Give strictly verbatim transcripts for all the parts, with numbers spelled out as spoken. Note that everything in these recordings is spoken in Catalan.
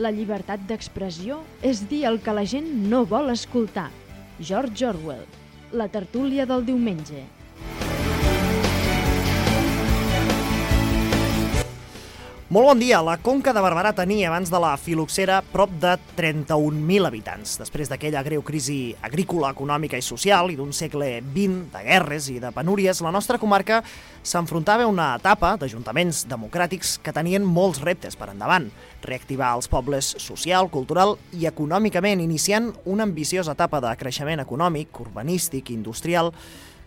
La llibertat d'expressió és dir el que la gent no vol escoltar. George Orwell. La tertúlia del diumenge. Molt bon dia. La Conca de Barberà tenia, abans de la filoxera, prop de trenta-un mil habitants. Després d'aquella greu crisi agrícola, econòmica i social i d'un segle vint de guerres i de penúries, la nostra comarca s'enfrontava a una etapa d'ajuntaments democràtics que tenien molts reptes per endavant. Reactivar els pobles social, cultural i econòmicament, iniciant una ambiciosa etapa de creixement econòmic, urbanístic, industrial,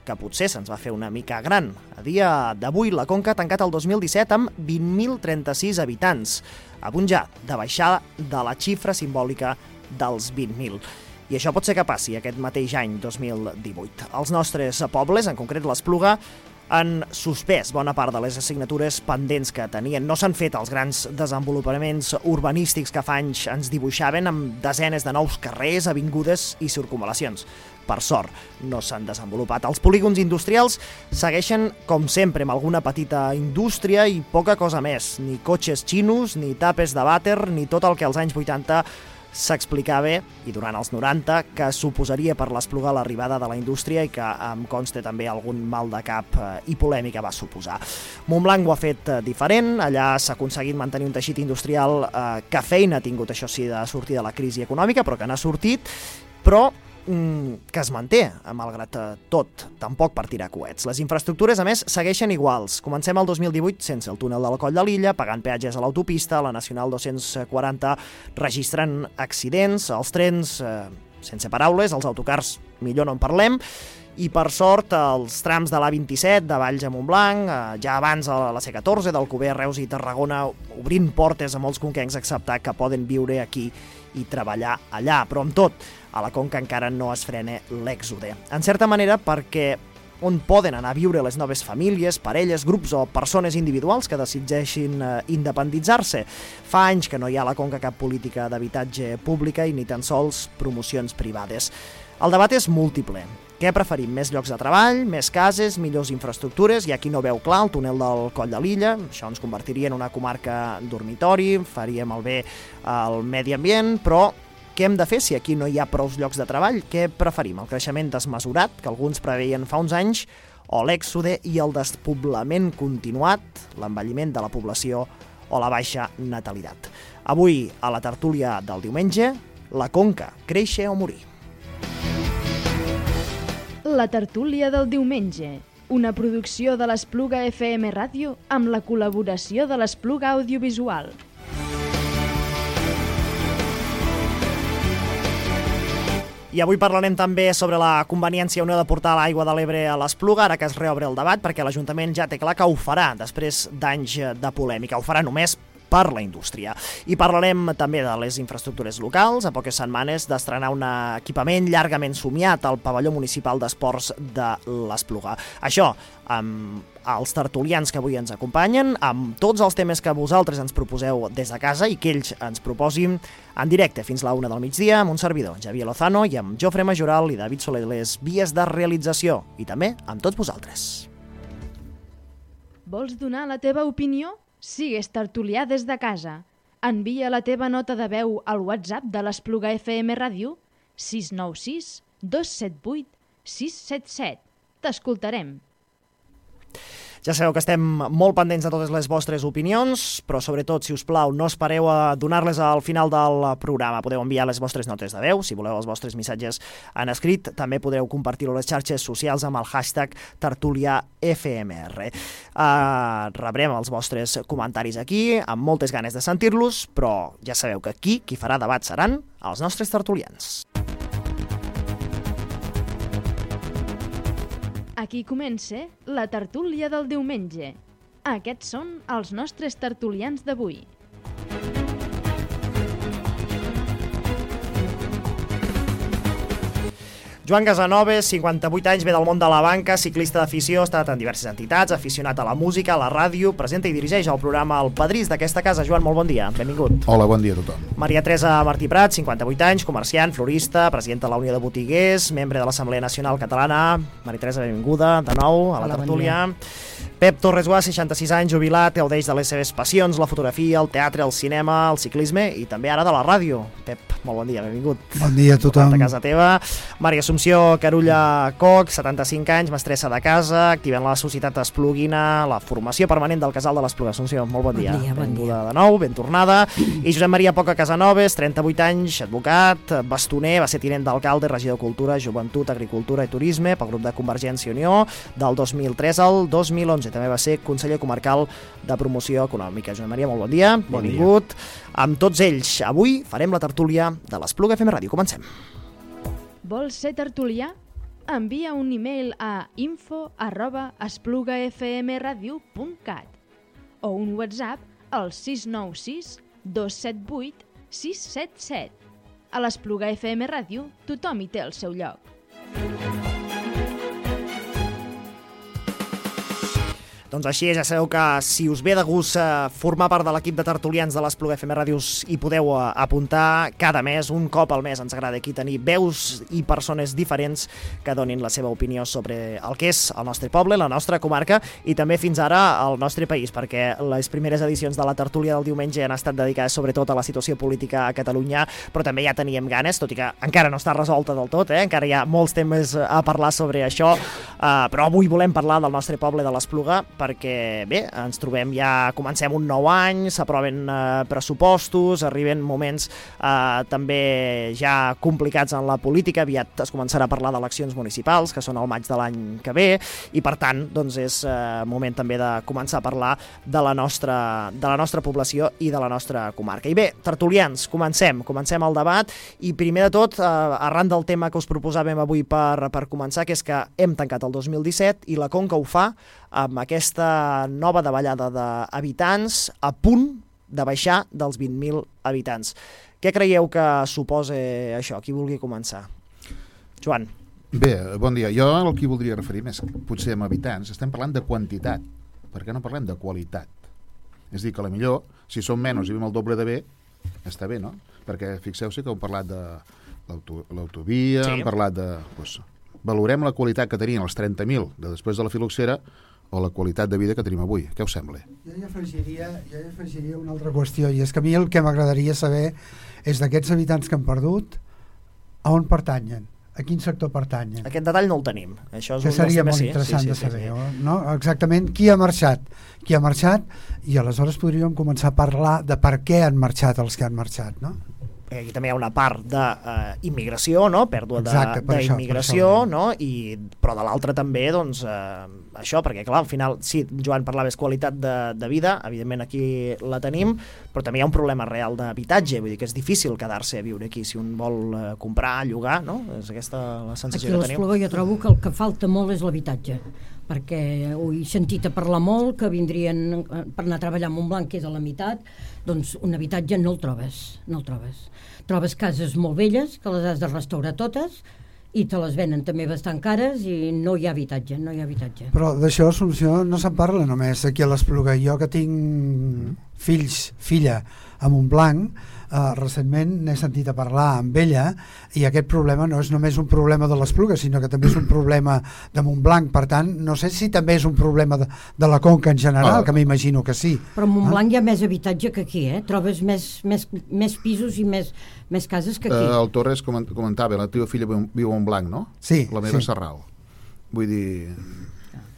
que potser se'ns va fer una mica gran. A dia d'avui, la Conca ha tancat el dos mil disset amb vint mil trenta-sis habitants, a punt ja de baixar de la xifra simbòlica dels vint mil. I això pot ser que passi aquest mateix any, dos mil divuit. Els nostres pobles, en concret l'Espluga, han suspès bona part de les assignatures pendents que tenien. No s'han fet els grans desenvolupaments urbanístics que fa anys ens dibuixaven amb desenes de nous carrers, avingudes i circumval·lacions. Per sort, no s'han desenvolupat. Els polígons industrials segueixen, com sempre, amb alguna petita indústria i poca cosa més. Ni cotxes xinos, ni tapes de vàter, ni tot el que als anys vuitanta s'explicava, i durant els noranta, que suposaria per l'Espluga l'arribada de la indústria i que em consta també algun mal de cap i polèmica va suposar. Montblanc ho ha fet diferent, allà s'ha aconseguit mantenir un teixit industrial eh, que feina ha tingut, això sí, de sortir de la crisi econòmica, però que n'ha sortit, però que es manté, malgrat tot, tampoc per tirar coets. Les infraestructures, a més, segueixen iguals. Comencem el dos mil divuit sense el túnel del Coll de Lilla, pagant peatges a l'autopista, la Nacional dos-cents quaranta registrant accidents, els trens, eh, sense paraules, els autocars, millor no en parlem, i per sort els trams de l'A vint-i-set, de Valls a Montblanc, eh, ja abans a la C catorze, d'Alcover, Reus i Tarragona, obrint portes a molts conquencs a acceptar que poden viure aquí i treballar allà, però amb tot, a la Conca encara no es frena l'èxode. En certa manera, perquè on poden anar a viure les noves famílies, parelles, grups o persones individuals que decideixin eh, independitzar-se. Fa anys que no hi ha a la Conca cap política d'habitatge pública i ni tan sols promocions privades. El debat és múltiple. Què preferim? Més llocs de treball, més cases, millors infraestructures? Hi ha qui no veu clar el túnel del Coll de Lilla. Això ens convertiria en una comarca dormitori, faríem el bé al medi ambient, però què hem de fer si aquí no hi ha prous llocs de treball? Què preferim? El creixement desmesurat, que alguns preveien fa uns anys, o l'èxode i el despoblament continuat, l'envelliment de la població o la baixa natalitat? Avui, a la tertúlia del diumenge, la Conca, créixer o morir? La tertúlia del diumenge, una producció de l'Espluga F M Ràdio amb la col·laboració de l'Espluga Audiovisual. I avui parlarem també sobre la conveniència o no de portar l'aigua de l'Ebre a l'Espluga, ara que es reobre el debat, perquè l'Ajuntament ja té clar que ho farà després d'anys de polèmica. Ho farà només per la indústria. I parlarem també de les infraestructures locals, a poques setmanes d'estrenar un equipament llargament somiat al pavelló municipal d'esports de l'Espluga. Això, amb els tertulians que avui ens acompanyen, amb tots els temes que vosaltres ens proposeu des de casa i que ells ens proposin en directe fins a la una del migdia amb un servidor, Javier Lozano, i amb Jofre Majoral i David Soler, les vies de realització, i també amb tots vosaltres. Vols donar la teva opinió? Sigues tertulià des de casa. Envia la teva nota de veu al WhatsApp de l'Espluga F M Ràdio sis nou sis dos set vuit sis set set. T'escoltarem. Ja sabeu que estem molt pendents de totes les vostres opinions, però sobretot, si us plau, no espereu a donar-les al final del programa. Podeu enviar les vostres notes de veu, si voleu els vostres missatges en escrit. També podreu compartir-ho a les xarxes socials amb el hashtag tertuliafmr. Uh, rebrem els vostres comentaris aquí, amb moltes ganes de sentir-los, però ja sabeu que aquí qui farà debat seran els nostres tertulians. Aquí comença la tertúlia del diumenge. Aquests són els nostres tertulians d'avui. Joan Casanovas, cinquanta-vuit anys, ve del món de la banca, ciclista d'afició, ha estat en diverses entitats, aficionat a la música, a la ràdio, presenta i dirigeix el programa El Padrís d'aquesta casa. Joan, molt bon dia, benvingut. Hola, bon dia a tothom. Maria Teresa Martí Prat, cinquanta-vuit anys, comerciant, florista, presidenta de la Unió de Botiguers, membre de l'Assemblea Nacional Catalana. Maria Teresa, benvinguda de nou a la Hola, tertúlia. Bon Pep Torres Guà, seixanta-sis anys, jubilat, gaudeix de les seves passions, la fotografia, el teatre, el cinema, el ciclisme i també ara de la ràdio. Pep, molt bon dia, benvingut. Bon dia a tothom. A casa teva. Maria Assumpció Carulla Coc, setanta-cinc anys, mestressa de casa, activa en la Societat Espluguina, la formació permanent del Casal de l'Espluga. Assumpció, molt bon dia. Bon dia, bon Benvinguda de nou, ben tornada. I Josep Maria Poca Casanovas, trenta-vuit anys, advocat, bastoner, va ser tinent d'alcalde, regidor de Cultura, Joventut, Agricultura i Turisme pel grup de Convergència i Unió del dos mil tres al dos mil onze. També va ser conseller comarcal de promoció econòmica. Josep Maria, molt bon dia, bon benvingut. Dia. Amb tots ells, avui farem la tertúlia de l'Espluga F M Ràdio. Comencem. Vols ser tertulià? Envia un e-mail a info arroba esplugafmradio punt cat o un WhatsApp al sis nou sis dos set vuit sis set set. A l'Espluga F M Ràdio tothom hi té el seu lloc. Doncs així és, ja sabeu que si us ve de gust eh, formar part de l'equip de tertulians de l'Espluga F M Ràdios hi podeu eh, apuntar cada mes, un cop al mes. Ens agrada aquí tenir veus i persones diferents que donin la seva opinió sobre el que és el nostre poble, la nostra comarca i també fins ara el nostre país, perquè les primeres edicions de la tertúlia del diumenge han estat dedicades sobretot a la situació política a Catalunya, però també ja teníem ganes, tot i que encara no està resolta del tot, eh? Encara hi ha molts temes a parlar sobre això, eh, però avui volem parlar del nostre poble de l'Espluga, perquè bé, ens trobem ja, comencem un nou any, s'aproven eh, pressupostos, arriben moments eh, també ja complicats en la política, aviat es començarà a parlar d'eleccions municipals, que són al maig de l'any que ve, i per tant, doncs és eh, moment també de començar a parlar de la nostra, de la nostra població i de la nostra comarca. I bé, tertulians, comencem, comencem el debat, i primer de tot, eh, arran del tema que us proposàvem avui per, per començar, que és que hem tancat el dos mil disset i la Conca ho fa amb aquesta nova davallada d'habitants a punt de baixar dels vint mil habitants. Què creieu que suposa això? Qui vulgui començar? Joan. Bé, bon dia. Jo el que voldria referir més, potser amb habitants, estem parlant de quantitat, perquè no parlem de qualitat. És a dir, que a la millor, si som menys i vivim el doble de bé, està bé, no? Perquè fixeu-se que heu parlat de l'autovia, sí. Hem parlat de... Doncs, valorem la qualitat que tenien els trenta mil de després de la filoxera o la qualitat de vida que tenim avui. Què us sembla? Jo hi afegiria, jo hi afegiria una altra qüestió, i és que a mi el que m'agradaria saber és d'aquests habitants que han perdut, a on pertanyen, a quin sector pertanyen. Aquest detall no el tenim. Això és que un seria molt sí, interessant sí, sí, de saber, sí, sí. No? Exactament qui ha marxat, qui ha marxat, i aleshores podríem començar a parlar de per què han marxat els que han marxat, no? Aquí també hi ha una part d'immigració, uh, no? Pèrdua d'immigració, no? I, però de l'altra també, doncs, uh, això, perquè clar, al final, sí, Joan parlaves qualitat de, de vida, evidentment aquí la tenim, però també hi ha un problema real d'habitatge, vull dir que és difícil quedar-se a viure aquí, si un vol uh, comprar, llogar, no? És aquesta la sensació aquí que tenim. Aquí a l'Espluga jo trobo que el que falta molt és l'habitatge, perquè ho he sentit a parlar molt, que vindrien per anar a treballar a Montblanc, que és a la meitat, doncs un habitatge no el trobes, no el trobes. Trobes cases molt velles, que les has de restaurar totes, i te les venen també bastant cares i no hi ha habitatge, no hi ha habitatge. Però d'això, Assumpció, no se'n parla només aquí a l'Espluga. Jo que tinc fills, filla a Montblanc, eh, recentment n'he sentit a parlar amb ella, i aquest problema no és només un problema de l'Espluga, sinó que també és un problema de Montblanc. Per tant, no sé si també és un problema de, de la Conca en general, ah. que m'imagino que sí. Però a Montblanc ah. hi ha més habitatge que aquí, eh? Trobes més, més, més pisos i més, més cases que aquí. Uh, el Torres comentava, la teva filla viu a Montblanc, no? Sí. La meva sí. Sarral. Vull dir,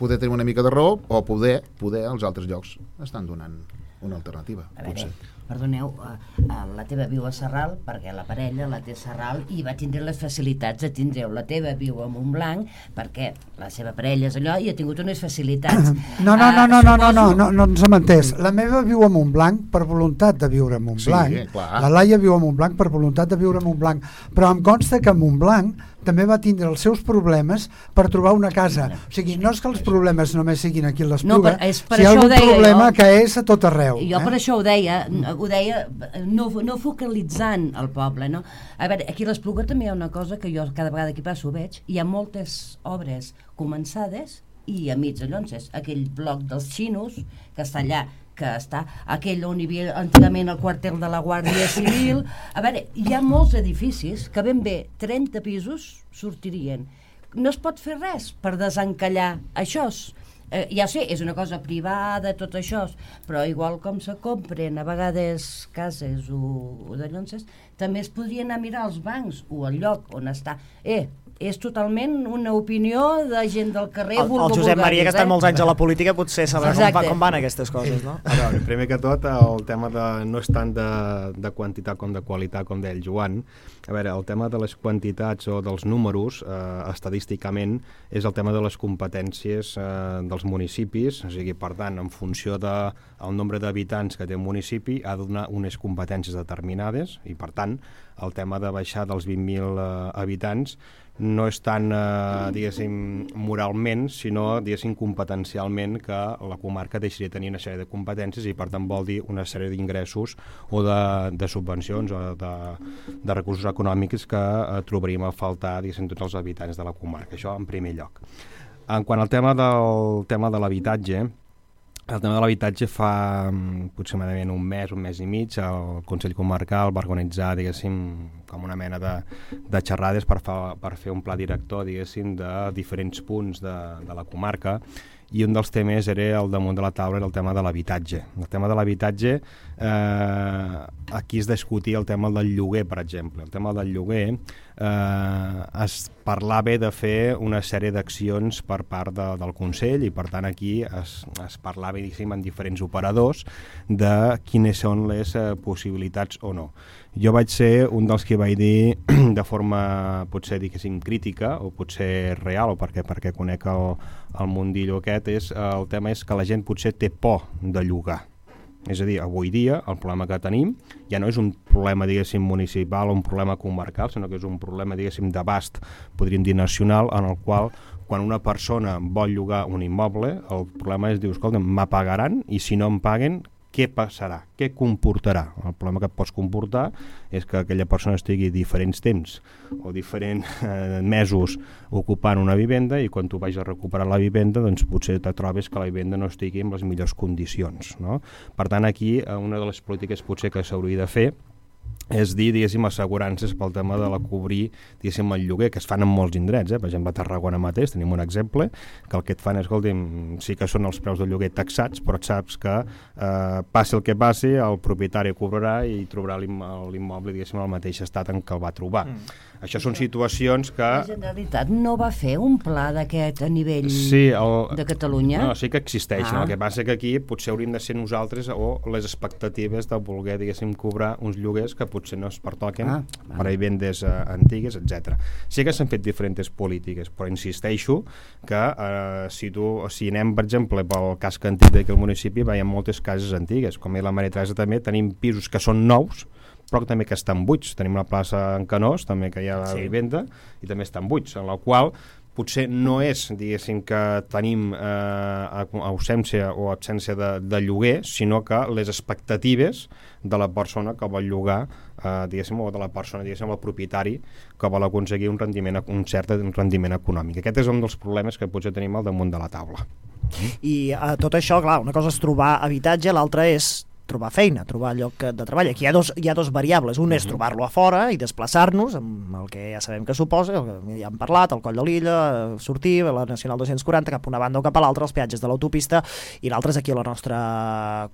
poder tenir una mica de raó, o poder, poder als altres llocs estan donant una alternativa, a veure, potser. Perdoneu, uh, uh, la teva viu a Sarral perquè la parella la té a Sarral i va tindre les facilitats de tindreu. La teva viu a Montblanc perquè la seva parella és allò i ha tingut unes facilitats. No, no, no, no, no, no, no, no, no ens hem entès. La meva viu a Montblanc per voluntat de viure a Montblanc. Sí, clar. La Laia viu a Montblanc per voluntat de viure a Montblanc. Però em consta que a Montblanc també va tindre els seus problemes per trobar una casa. O sigui, no és que els problemes només siguin aquí a l'Espluga, no, si hi ha algun problema jo, que és a tot arreu. Jo eh? per això ho deia, ho deia no, no focalitzant el poble, no? A veure, aquí a l'Espluga també hi ha una cosa que jo cada vegada que passo veig, hi ha moltes obres començades i a mig de llonces. Aquell bloc dels xinos, que està allà, que està aquell on hi havia antigament el quartel de la Guàrdia Civil. A veure, hi ha molts edificis que ben bé trenta pisos sortirien. No es pot fer res per desencallar això. eh, ja sé, és una cosa privada, tot això, però igual com se compren a vegades cases o, o de llonces, també es podria anar a mirar als bancs o al lloc on està. Eh, és totalment una opinió de gent del carrer. El, el Josep Maria, que ha estat molts anys a la política, potser sabrà com, va, com van aquestes coses, no? A veure, primer que tot, el tema de, no és tant de, de quantitat com de qualitat, com deia el Joan. A veure, el tema de les quantitats o dels números, eh, estadísticament, és el tema de les competències eh, dels municipis, o sigui, per tant, en funció del de, nombre d'habitants que té un municipi, ha de donar unes competències determinades, i per tant, el tema de baixar dels vint mil eh, habitants no és tant, eh, diguéssim, moralment, sinó, diguéssim, competencialment, que la comarca deixaria de tenir una sèrie de competències i, per tant, vol dir una sèrie d'ingressos o de, de subvencions o de, de recursos econòmics que eh, trobaríem a faltar, diguéssim, tots els habitants de la comarca. Això en primer lloc. En quant al tema del tema de l'habitatge, el tema de l'habitatge fa aproximadament un mes, un mes i mig, el Consell Comarcal va organitzar, diguéssim, com una mena de, de xerrades per, fa, per fer un pla director, diguéssim, de diferents punts de, de la comarca, i un dels temes era el damunt de la taula, era el tema de l'habitatge. El tema de l'habitatge, eh, aquí es discutia el tema del lloguer, per exemple. El tema del lloguer eh, es parlava de fer una sèrie d'accions per part de, del Consell i, per tant, aquí es, es parlava, diguéssim, en diferents operadors de quines són les eh, possibilitats o no. Jo vaig ser un dels que vaig dir de forma, potser, diguéssim, crítica o potser real, o perquè, perquè conec el, el mundillo aquest, és, el tema és que la gent potser té por de llogar. És a dir, avui dia el problema que tenim ja no és un problema, diguéssim, municipal o un problema comarcal, sinó que és un problema, diguéssim, d'abast, podríem dir nacional, en el qual quan una persona vol llogar un immoble, el problema és, diu, escolta, m'apagaran i si no em paguen, què passarà? Què comportarà? El problema que pots comportar és que aquella persona estigui diferents temps o diferents eh, mesos ocupant una vivenda i quan tu vagis a recuperar la vivenda doncs potser te trobes que la vivenda no estigui en les millors condicions, no? Per tant, aquí una de les polítiques potser que s'hauria de fer és dir, diguéssim, assegurances pel tema de la cobrir, diguéssim, el lloguer, que es fan en molts indrets, eh? Per exemple, a Tarragona mateix tenim un exemple, que el que et fan és, escolta'm, sí que són els preus del lloguer taxats, però et saps que eh, passi el que passi, el propietari cobrarà i trobarà l'immoble, diguéssim, al mateix estat en què el va trobar. Mm. Això són situacions que... La Generalitat no va fer un pla d'aquest a nivell sí, el... de Catalunya? No, sí que existeix, ah. no? El que passa que aquí potser hauríem de ser nosaltres o les expectatives de voler, diguéssim, cobrar uns lloguers que potser no es pertoquen ah, per a vivendes uh, antigues, etcètera. Sí que s'han fet diferents polítiques, però insisteixo que uh, si, tu, si anem, per exemple, pel casc antic d'aquí al municipi, veiem moltes cases antigues, com la Maria Teresa també, tenim pisos que són nous, però també que estan buits. Tenim la plaça en Canós, també que hi ha sí. vivenda, i també estan buits, en la qual potser no és, diguéssim, que tenim eh, ausència o absència de, de lloguer, sinó que les expectatives de la persona que vol llogar, eh, diguéssim, o de la persona, diguéssim, el propietari que vol aconseguir un rendiment, un cert rendiment econòmic. Aquest és un dels problemes que potser tenim al damunt de la taula. I eh, tot això, clar, una cosa és trobar habitatge, l'altra és trobar feina, trobar lloc de treball. Aquí hi ha dos, hi ha dos variables. Un és trobar-lo a fora i desplaçar-nos, amb el que ja sabem que suposa, el que ja hem parlat, el Coll de Lilla, sortir a la Nacional dos-cents quaranta cap a una banda o cap a l'altra, els peatges de l'autopista, i l'altre és aquí a la nostra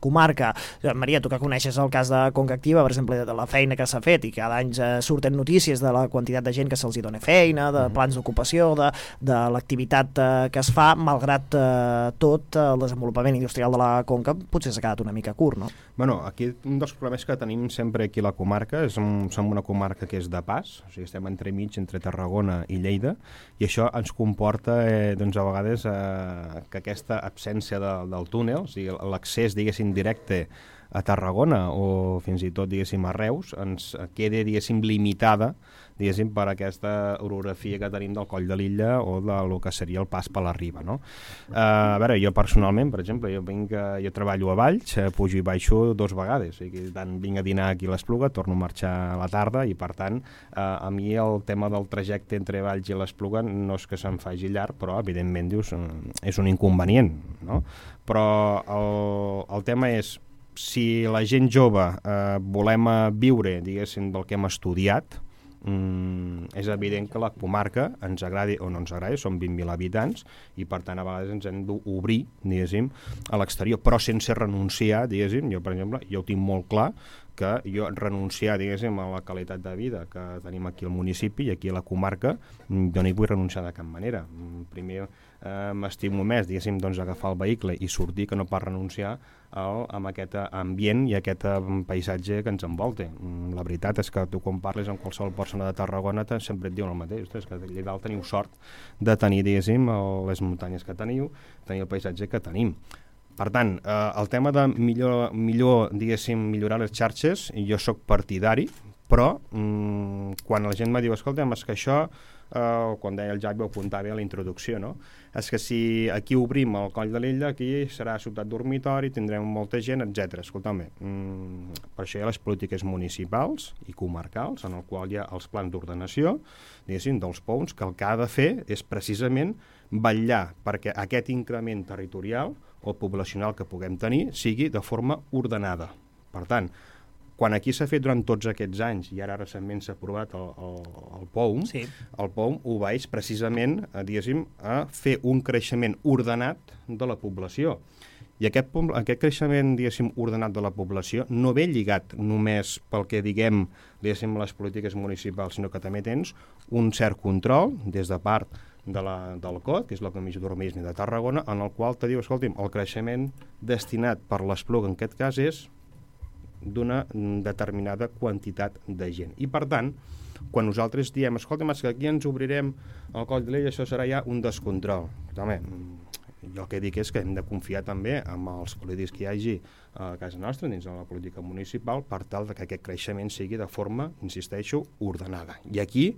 comarca. Maria, tu que coneixes el cas de Conca Activa, per exemple, de la feina que s'ha fet, i cada any eh, surten notícies de la quantitat de gent que se'ls hi dona feina, de plans d'ocupació, de, de l'activitat eh, que es fa, malgrat eh, tot, el desenvolupament industrial de la Conca potser s'ha quedat una mica curt, no? Bueno, aquí un dels problemes que tenim sempre aquí a la comarca és un, som una comarca que és de pas, o sigui, estem entremig entre Tarragona i Lleida, i això ens comporta eh, doncs a vegades eh, que aquesta absència de, del túnel, o sigui, l'accés, diguéssim, directe a Tarragona o fins i tot, diguéssim, a Reus, ens queda, diguéssim, limitada, diguéssim, per aquesta orografia que tenim del Coll de Lilla o del que seria el pas per la riba, no? Uh, a veure, jo personalment, per exemple, jo, vinc, jo treballo a Valls, eh, pujo i baixo dos vegades, o sigui, tant vinc a dinar aquí a l'Espluga, torno a marxar a la tarda i, per tant, uh, a mi el tema del trajecte entre Valls i l'Espluga no és que se'm faci llarg, però, evidentment, dius, és un inconvenient, no? Però el, el tema és, si la gent jove eh, volem viure, diguéssim, del que hem estudiat, mm, és evident que la comarca, ens agradi o no ens agradi, són vint mil habitants i per tant a vegades ens hem d'obrir, diguéssim, a l'exterior, però sense renunciar, diguéssim, jo per exemple, jo ho tinc molt clar que jo renunciar, diguéssim, a la qualitat de vida que tenim aquí al municipi i aquí a la comarca, jo no hi vull renunciar de cap manera. Primer eh, m'estimo més, diguéssim, doncs agafar el vehicle i sortir que no pas renunciar al, amb aquest ambient i aquest paisatge que ens envolta. La veritat és que tu quan parles amb qualsevol persona de Tarragona sempre et diuen el mateix, ostres, que allà dalt teniu sort de tenir, diguéssim, les muntanyes que teniu, tenir el paisatge que tenim. Per tant, eh, el tema de millor, millor, diguéssim, millorar les xarxes, jo sóc partidari, però mm, quan la gent me diu, escolta, és que això, eh, quan deia el Javi ho apuntava a la introducció, no? És que si aquí obrim el Coll de l'Illa, aquí serà ciutat dormitori, tindrem molta gent, etcètera. Escolta'm, mm, per això hi ha les polítiques municipals i comarcals, en el qual hi ha els plans d'ordenació, diguéssim, dels P O Ms, que el que ha de fer és precisament vetllar perquè aquest increment territorial o poblacional que puguem tenir sigui de forma ordenada. Per tant, quan aquí s'ha fet durant tots aquests anys i ara recentment s'ha aprovat el, el, el P O M, sí. el P O M obeeix precisament a, diguéssim, a fer un creixement ordenat de la població. I aquest, aquest creixement, diguéssim, ordenat de la població no ve lligat només pel que diguem, diguéssim, les polítiques municipals, sinó que també tens un cert control des de part de la, del C O D, que és la Comissió d'Urbanisme de Tarragona, en el qual te diu, escolti'm, el creixement destinat per l'Espluga, en aquest cas, és d'una determinada quantitat de gent. I, per tant, quan nosaltres diem, escolta'm, és que aquí ens obrirem el Coll de l'Illa, això serà ja un descontrol. Home, jo el que dic és que hem de confiar també en els polítics que hi hagi a casa nostra, dins de la política municipal, per tal que aquest creixement sigui de forma, insisteixo, ordenada. I aquí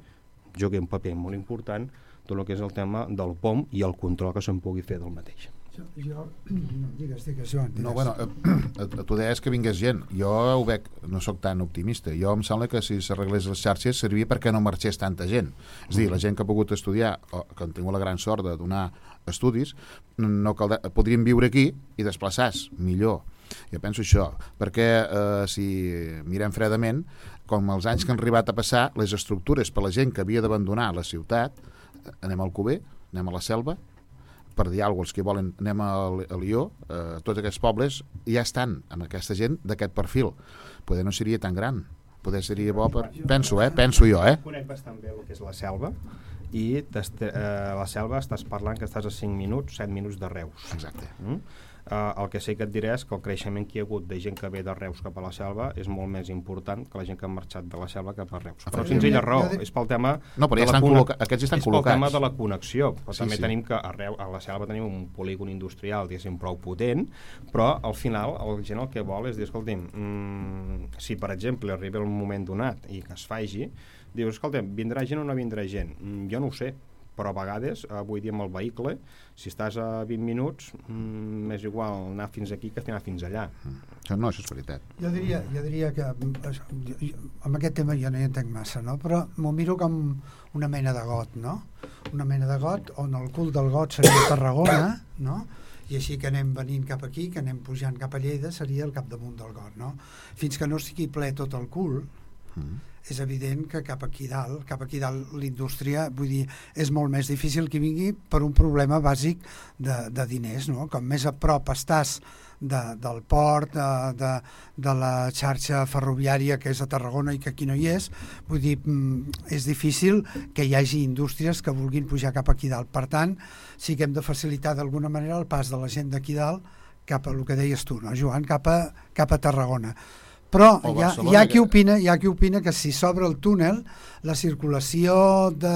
juga un paper molt important tot el que és el tema del P O M i el control que se'n pugui fer del mateix. Jo, jo no, digues, digues, Joan, digues. No, bueno, eh, tu deies que vingués gent. Jo ho veig, no sóc tan optimista. Jo em sembla que si s'arreglés les xarxes serviria perquè no marxés tanta gent. És a dir, la gent que ha pogut estudiar, o que han tingut la gran sort de donar estudis, no caldrà, podrien viure aquí i desplaçar-se millor. Jo penso això, perquè eh, si mirem fredament, com els anys que han arribat a passar, les estructures per la gent que havia d'abandonar la ciutat, anem al Cuber, anem a la Selva, per dir alguna cosa, els que volen, anem a Lió, eh, tots aquests pobles ja estan amb aquesta gent d'aquest perfil. Poder no seria tan gran, poder seria bo per... Penso, eh? Penso jo, eh? Conec bastant bé el que és la Selva, i eh, la Selva estàs parlant que estàs a cinc minuts, set minuts de Reus. Exacte. Mm? Uh, el que sí que et diré és que el creixement que hi ha hagut de gent que ve de Reus cap a la Selva és molt més important que la gent que ha marxat de la Selva cap a Reus. Però senzilla raó, és pel tema... No, però ja estan col·locats, aquests estan és col·locats. És pel tema de la connexió. Però sí, també sí. tenim que a, Reus, a la Selva tenim un polígon industrial, diguéssim, prou potent, però al final el gent el que vol és dir, escolti'm, mmm, si per exemple arriba el moment donat i que es faci, dius, escolta'm, vindrà gent o no vindrà gent? Mm, jo no ho sé, però a vegades, avui dia amb el vehicle, si estàs a vint minuts, mm, és igual anar fins aquí que anar fins allà. Mm. No, això és veritat. Jo diria, jo diria que jo, jo, amb aquest tema jo no hi entenc massa, no? Però m'ho miro com una mena de got, no? Una mena de got on el cul del got seria Tarragona, no? I així que anem venint cap aquí, que anem pujant cap a Lleida, seria el capdamunt del got, no? Fins que no estigui ple tot el cul, mm. és evident que cap aquí dalt, cap aquí dalt l'indústria, vull dir, és molt més difícil que vingui per un problema bàsic de, de diners, no? Com més a prop estàs de, del port, de, de, de la xarxa ferroviària que és a Tarragona i que aquí no hi és, vull dir, és difícil que hi hagi indústries que vulguin pujar cap aquí dalt. Per tant, sí que hem de facilitar d'alguna manera el pas de la gent d'aquí dalt cap a el que deies tu, no, Joan? Cap a, cap a Tarragona. Però hi ha, hi, ha qui opina, hi ha qui opina que si s'obre el túnel, la circulació de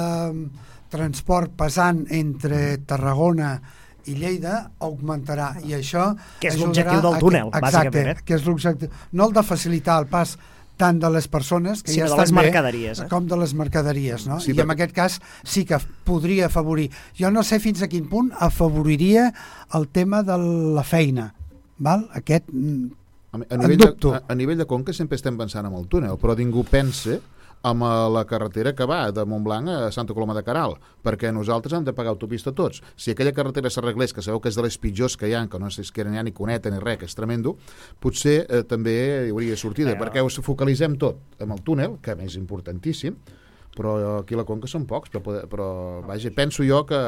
transport pesant entre Tarragona i Lleida augmentarà, i això que és l'objectiu del túnel, a, exacte, bàsicament. Que és l'objectiu, no el de facilitar el pas tant de les persones que sí, ja de estan les mercaderies, bé, eh? com de les mercaderies, no? Sí, I perquè... en aquest cas sí que podria afavorir. Jo no sé fins a quin punt afavoriria el tema de la feina, val? Aquest A, a, nivell de, a, a nivell de Conca sempre estem pensant en el túnel, però ningú pensa amb la carretera que va de Montblanc a Santa Coloma de Queralt, perquè nosaltres hem de pagar autopista tots. Si aquella carretera s'arreglés, que sabeu que és de les pitjors que hi ha, que no sé si que no hi ha ni cuneta ni res, que és tremendo, potser eh, també hi hauria sortida, però... perquè us focalitzem tot amb el túnel, que és importantíssim, però aquí a la Conca són pocs, però, poder, però vaja, penso jo que...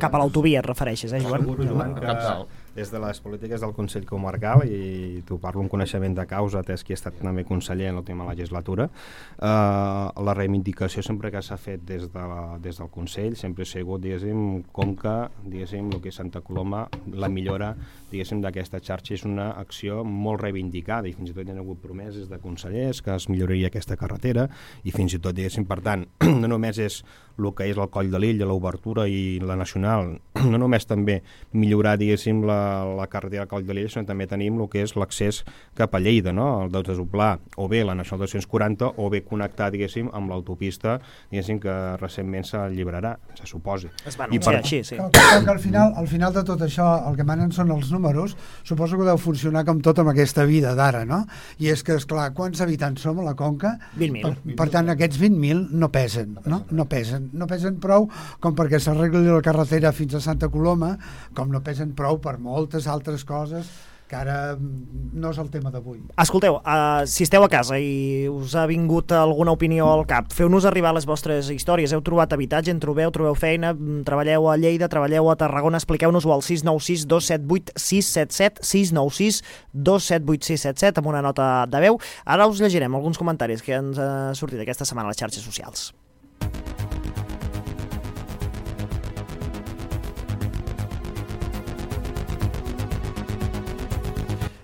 Cap a l'autovia et refereixes, eh, Joan? Segur, Joan, que des de les polítiques del Consell Comarcal, i t'ho parlo amb coneixement de causa, atès que he estat també conseller en l'última legislatura, eh, la reivindicació sempre que s'ha fet des, de la, des del Consell sempre ha sigut, diguéssim, Conca, diguéssim, el que és Santa Coloma, la millora, diguéssim, d'aquesta xarxa és una acció molt reivindicada, i fins i tot hi ha hagut promeses de consellers que es milloraria aquesta carretera, i fins i tot, diguéssim, per tant, no només és el que és el Coll de l'Illa, l'obertura i la nacional, no només també millorar, diguéssim, la, la carretera del Coll de l'Illa, sinó també tenim el que és l'accés cap a Lleida, no? El de Desoplà, o bé la nacional dos-cents quaranta, o bé connectar, diguéssim, amb l'autopista, diguéssim, que recentment s'alliberarà, se suposi. Es va anunciar per... així, sí. Que, que, que al, final, al final de tot això, el que manen són els números, suposo que deu funcionar com tot amb aquesta vida d'ara, no? I és que, esclar, quants habitants som a la Conca? vint mil. Per, per tant, aquests vint mil no pesen, no? No pesen. No pesen prou com perquè s'arregli la carretera fins a Santa Coloma, com no pesen prou per moltes altres coses que ara no és el tema d'avui. Escolteu, uh, si esteu a casa i us ha vingut alguna opinió al cap, feu-nos arribar les vostres històries. Heu trobat habitatge, en trobeu, trobeu feina, treballeu a Lleida, treballeu a Tarragona, expliqueu-nos-ho al sis nou sis dos set vuit sis set set, sis nou sis dos set vuit sis set set, amb una nota de veu. Ara us llegirem alguns comentaris que ens ha sortit aquesta setmana a les xarxes socials.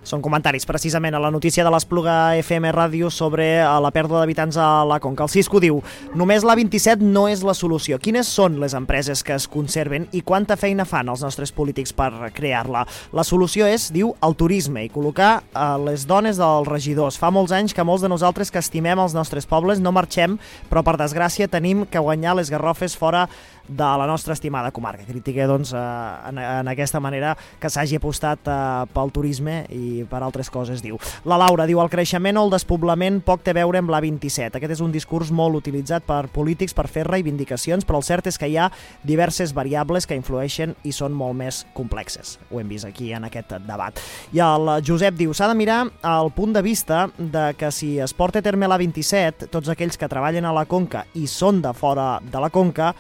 Són comentaris precisament a la notícia de l'Espluga F M Ràdio sobre la pèrdua d'habitants a la Conca. El Cisco diu: només la vint-i-set no és la solució. Quines són les empreses que es conserven i quanta feina fan els nostres polítics per crear-la? La solució és, diu, el turisme i col·locar a les dones dels regidors. Fa molts anys que molts de nosaltres que estimem els nostres pobles no marxem, però per desgràcia tenim que guanyar les garrofes fora de la nostra estimada comarca. Critica, doncs, en, en aquesta manera que s'hagi apostat eh, pel turisme i per altres coses, diu. La Laura diu: el creixement o el despoblament poc té a veure amb la vint-i-set. Aquest és un discurs molt utilitzat per polítics per fer reivindicacions, però el cert és que hi ha diverses variables que influeixen i són molt més complexes. Ho hem vist aquí en aquest debat. I el Josep diu: s'ha de mirar el punt de vista de que si es porta a terme la vint-i-set, tots aquells que treballen a la Conca i són de fora de la Conca,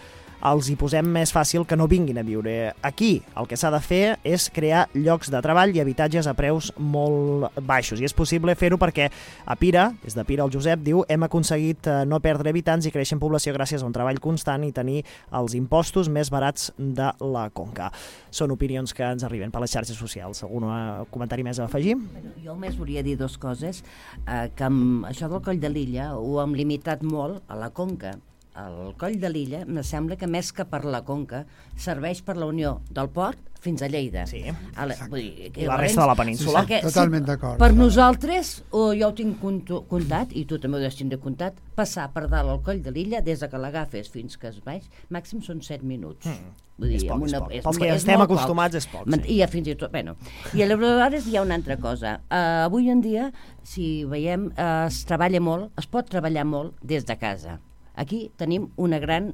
els hi posem més fàcil que no vinguin a viure aquí. El que s'ha de fer és crear llocs de treball i habitatges a preus molt baixos. I és possible fer-ho perquè a Pira, des de Pira el Josep, diu: hem aconseguit no perdre habitants i créixer en població gràcies a un treball constant i tenir els impostos més barats de la Conca. Són opinions que ens arriben per les xarxes socials. Algun comentari més a afegir? Bueno, jo només volia dir dues coses, eh, que amb això del Coll de l'Illa ho hem limitat molt a la Conca. El Coll de l'Illa, me sembla que més que per la Conca, serveix per la unió del port fins a Lleida. Sí, a la, vull dir, i la resta de la península. Sí, sí, totalment d'acord. Per nosaltres, o jo ho tinc comptat, i tu també ho has tingut comptat, passar per dalt al Coll de l'Illa, des que l'agafes fins que es baix, màxim són set minuts. Mm. Vull dir, és poc, una, és poc. És, Pels que és estem acostumats és poc. Sí. I ja fins i tot, bueno. I aleshores hi ha una altra cosa. Uh, avui en dia, si veiem, uh, es treballa molt, es pot treballar molt des de casa. Aquí tenim una gran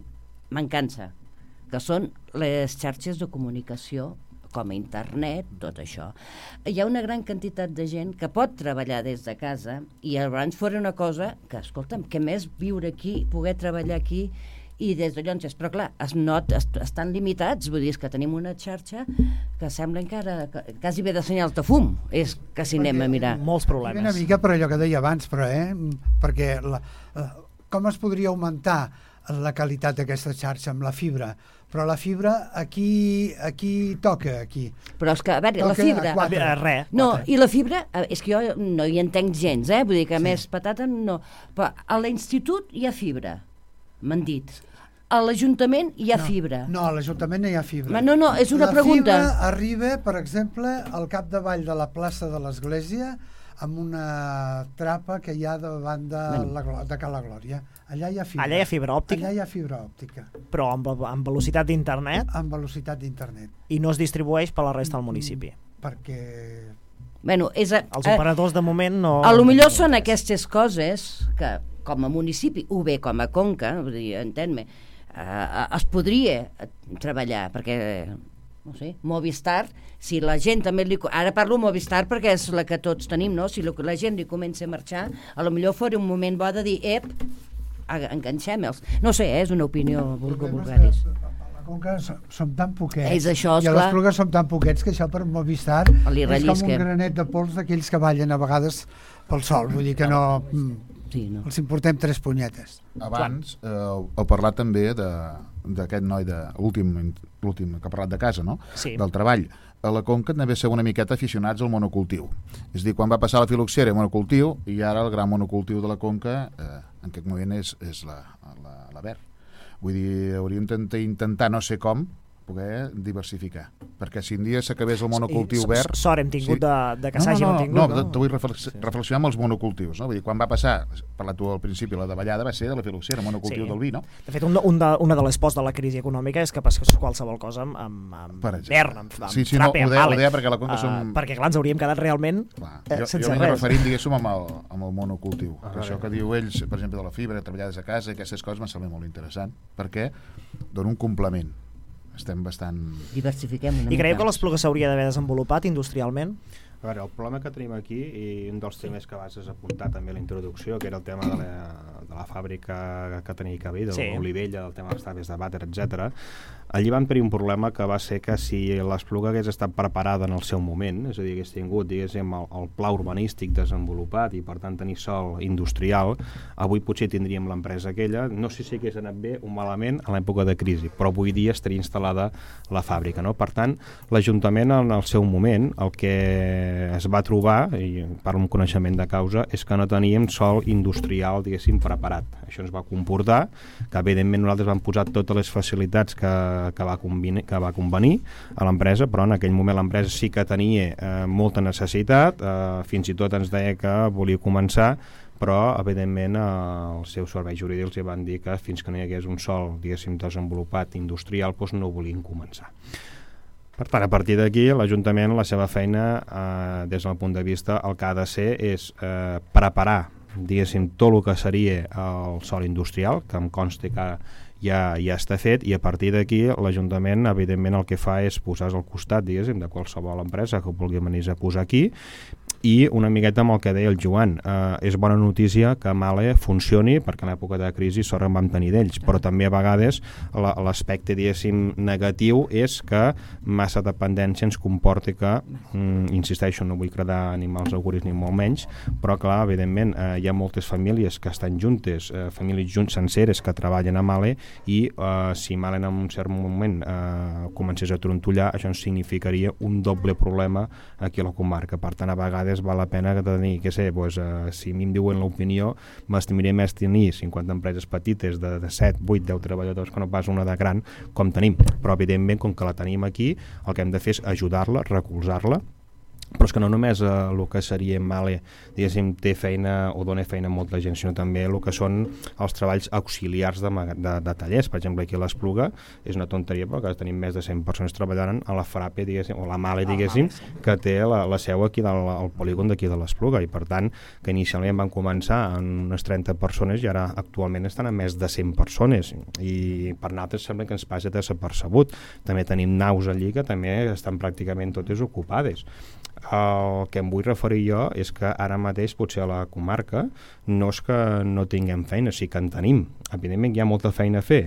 mancança, que són les xarxes de comunicació, com a internet, tot això. Hi ha una gran quantitat de gent que pot treballar des de casa i abans fora una cosa que, escolta'm, que més viure aquí, poder treballar aquí i des de Llonses, però clar, es not, es, estan limitats, vull dir, és que tenim una xarxa que sembla encara que, quasi bé de senyals de fum, és que si anem a mirar. Molts problemes. Una mica per allò que deia abans, però, eh? Perquè la, uh, com es podria augmentar la qualitat d'aquesta xarxa amb la fibra? Però la fibra aquí aquí toca, aquí. Però és que, a veure, la fibra... A res. No, i la fibra, és que jo no hi entenc gens, eh? Vull dir que sí. Més patata no... Però a l'institut hi ha fibra, m'han dit. A l'Ajuntament hi ha no, fibra. No, a l'Ajuntament no hi ha fibra. Ma, no, no, és una la pregunta. La fibra arriba, per exemple, al capdavall de la plaça de l'Església, amb una trapa que hi ha davant de, bueno. la, de Cala Glòria. Allà hi ha fibra. Allà hi ha fibra òptica? Allà hi ha fibra òptica. Però amb, amb velocitat d'internet? Amb velocitat d'internet. I no es distribueix per la resta del municipi? Perquè... Bueno, és a, Els operadors de moment no... A lo millor són aquestes coses que, com a municipi, o bé com a Conca, vull dir, entén-me, eh, es podria treballar, perquè... no sé, Movistar, si la gent també li... Ara parlo Movistar perquè és la que tots tenim, no? Si la gent li comença a marxar, a lo millor fora un moment bo de dir, ep, enganxem-los. No sé, eh, és una opinió vulgaris. La Conca som, som tan poquets, és això, i a l'Espluga som tan poquets que això per Movistar és com un granet de pols d'aquells que ballen a vegades pel sol, vull dir que no... Sí, no. Els importem tres punyetes. Abans eh, heu parlat també d'aquest noi de l'últim l'últim que ha parlat de casa, no? Sí. Del treball. A la Conca n'havia ser una miqueta aficionats al monocultiu. És a dir, quan va passar la filoxera monocultiu, i ara el gran monocultiu de la Conca eh, en aquest moment és, és la, la, la verd. Vull dir, hauríem d'intentar, no sé com, poder diversificar, perquè si un dia s'acabés el monocultiu sí, verd... Sort hem tingut sí. de, de que no, s'hagin no, no, tingut. No, no, no, no. Vull reflex sí. reflexionar amb els monocultius, no? Vull dir, quan va passar, parlat tu al principi, la davallada va ser de la filoxera, monocultiu sí. del vi, no? De fet, un, un de, una de les pors de la crisi econòmica és que passes qualsevol cosa amb, amb, amb verd, amb, amb sí, sí, frappe, no, amb deia, vale. Deia perquè a la Conca som... Uh, perquè, clar, ens hauríem quedat realment clar, eh, jo, sense jo res. Jo referint, diguéssim, amb el, amb el monocultiu. Ah, això que diu ells, per exemple, de la fibra, treballar des de casa, aquestes coses m'ha semblat molt interessant, perquè dona un complement. Estem bastant... Diversifiquem una I creieu que l'Espluga s'hauria d'haver desenvolupat industrialment? A veure, el problema que tenim aquí, i un dels temes que vas apuntar també a la introducció, que era el tema de la, de la fàbrica que tenia que haver, de sí. l'Olivella, del tema dels taves de vàter, etcètera. Allí van tenir un problema que va ser que si l'Espluga hagués estat preparada en el seu moment, és a dir, hagués tingut, diguéssim, el, el pla urbanístic desenvolupat i per tant tenir sòl industrial, avui potser tindríem l'empresa aquella, no sé si hagués anat bé o malament a l'època de crisi, però avui dia estaria instal·lada la fàbrica, no? Per tant, l'Ajuntament en el seu moment, el que es va trobar, i parlo amb coneixement de causa, és que no teníem sòl industrial, diguéssim, preparat. Això ens va comportar que, evidentment, nosaltres vam posar totes les facilitats que, que, va, convenir, que va convenir a l'empresa, però en aquell moment l'empresa sí que tenia eh, molta necessitat, eh, fins i tot ens deia que volia començar, però, evidentment, eh, els seus serveis jurídics li van dir que fins que no hi hagués un sòl, diguéssim, desenvolupat industrial, doncs no volien començar. Per tant, a partir d'aquí, l'Ajuntament, la seva feina, eh, des del punt de vista, el que ha de ser és eh, preparar, diguéssim, tot el que seria el sòl industrial, que em consta que ja, ja està fet, i a partir d'aquí l'Ajuntament, evidentment, el que fa és posar-se al costat, diguéssim, de qualsevol empresa que vulgui venir a posar aquí, i una miqueta amb el que deia el Joan, eh, és bona notícia que Mahle funcioni, perquè en l'època de crisi sort en vam tenir d'ells, però també a vegades l'aspecte, diguéssim, negatiu és que massa dependència ens comporta que, mm, insisteixo, no vull credar ni mals auguris ni molt menys, però clar, evidentment, eh, hi ha moltes famílies que estan juntes, eh, famílies junts senceres que treballen a Mahle, i eh, si Mahle en un cert moment eh, comencés a trontollar, això ens significaria un doble problema aquí a la comarca. Per tant, a vegades val la pena que tenir, que sé, pues, uh, si a mi em diuen l'opinió, m'estimaria més tenir cinquanta empreses petites de, de set, vuit, deu treballadors que no pas una de gran com tenim, però evidentment com que la tenim aquí, el que hem de fer és ajudar-la, recolzar-la, però és que no només eh, el que seria Mahle, diguéssim, té feina o dona feina a molta gent, sinó també el que són els treballs auxiliars de, de, de tallers. Per exemple, aquí a l'Espluga és una tonteria, però que tenim més de cent persones treballant a la Frappe, diguéssim, o la Mahle, diguéssim, que té la, la seu aquí del al polígon d'aquí de l'Espluga, i per tant, que inicialment van començar en unes trenta persones i ara actualment estan a més de cent persones, i per nosaltres sembla que ens passa desapercebut. També tenim naus allí que també estan pràcticament totes ocupades. El que em vull referir jo és que ara mateix potser a la comarca no és que no tinguem feina, sí que en tenim. Evidentment hi ha molta feina a fer,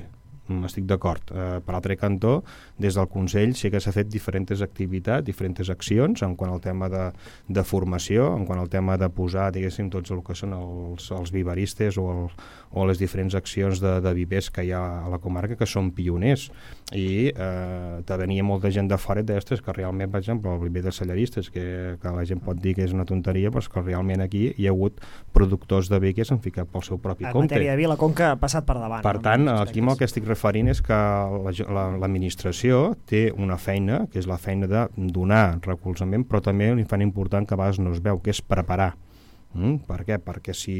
estic d'acord. Eh, per l'altre cantó, des del Consell sí que s'ha fet diferents activitats, diferents accions en quant al tema de, de formació, en quant al tema de posar, diguéssim, tots el que són els, els viveristes o, el, o les diferents accions de, de vivers que hi ha a la comarca, que són pioners, i eh, te venia molta gent de fora d'estes que realment, per exemple, el viver de cellaristes, que, que la gent pot dir que és una tonteria, però que realment aquí hi ha hagut productors de vi que s'han ficat pel seu propi en compte. En matèria de vi, la Conca ha passat per davant. Per tant, aquí amb el que estic referint és que l'administració té una feina, que és la feina de donar recolzament, però també una feina important que a vegades no es veu, que és preparar. Mm? Per què? Perquè si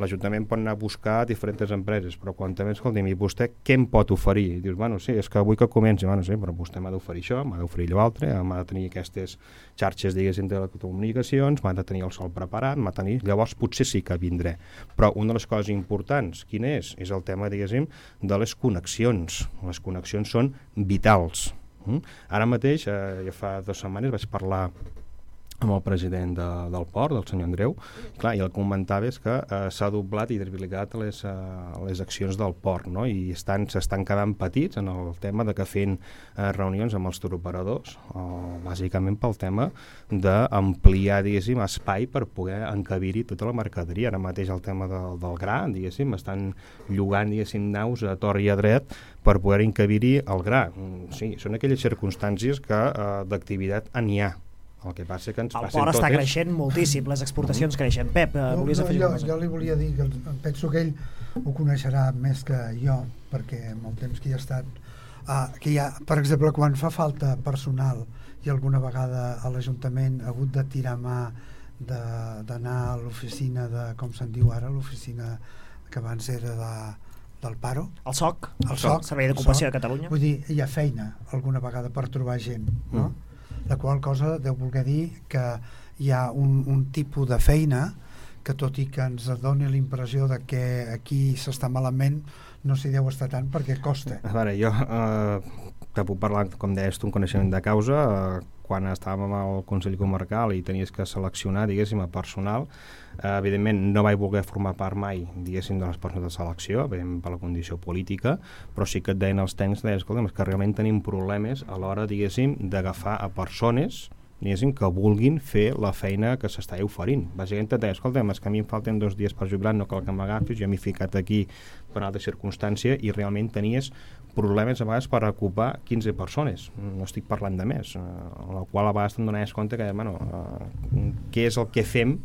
l'Ajuntament pot anar a buscar diferents empreses, però quan també, escolti'm, i vostè què em pot oferir? I dius, bueno, sí, és que vull que comenci, bueno, sí, però vostè m'ha d'oferir això, m'ha d'oferir allò altre, m'ha de tenir aquestes xarxes, diguéssim, de telecomunicacions, m'ha de tenir el sol preparat, m'ha de tenir... Llavors potser sí que vindré. Però una de les coses importants, quina és? És el tema, diguéssim, de les connexions. Les connexions són vitals. Mm? Ara mateix, eh, ja fa dues setmanes vaig parlar amb el president de, del port, del senyor Andreu. Clar, i el que comentava és que eh, s'ha doblat i triplicat les, eh, les accions del port, no? I estan, s'estan quedant petits en el tema de que fent eh, reunions amb els turoperadors, o, bàsicament pel tema d'ampliar, diguéssim, espai per poder encabir-hi tota la mercaderia. Ara mateix el tema del, del gra, diguéssim, estan llogant, diguéssim, naus a tor i a dret per poder encabir-hi el gra. Sí, són aquelles circumstàncies que eh, d'activitat n'hi ha. El que passa que ens el passen port totes... està creixent moltíssim, les exportacions mm. creixen. Pep, no, volies no, afegir jo, una cosa? Jo li volia dir que penso que ell ho coneixerà més que jo, perquè amb el temps que hi ha estat, uh, que hi ha, per exemple, quan fa falta personal i alguna vegada a l'Ajuntament ha hagut de tirar mà d'anar a l'oficina de, com se'n diu ara, l'oficina que abans era de, del Paro. El S O C, el S O C, Servei d'Ocupació de Catalunya. Vull dir, hi ha feina alguna vegada per trobar gent, no? Mm. La qual cosa deu voler dir que hi ha un, un tipus de feina que tot i que ens doni la impressió de que aquí s'està malament, no s'hi deu estar tant perquè costa. A veure, jo eh, que puc parlar, com deies tu, un coneixement de causa, eh, quan estàvem al Consell Comarcal i tenies que seleccionar, diguéssim, a personal, eh, evidentment no vaig voler formar part mai, diguéssim, de les persones de selecció, evidentment per la condició política, però sí que et deien els tècnics, deien, escolta, que realment tenim problemes a l'hora, diguéssim, d'agafar a persones, diguéssim, que vulguin fer la feina que s'està oferint. Bàsicament et deia, escolta, és que a mi em falten dos dies per jubilar, no cal que m'agafis, jo m'he ficat aquí per una altra circumstància i realment tenies problemes a vegades per ocupar quinze persones, no estic parlant de més, eh, a la qual a vegades te'n donaves compte que, bueno, eh, què és el que fem,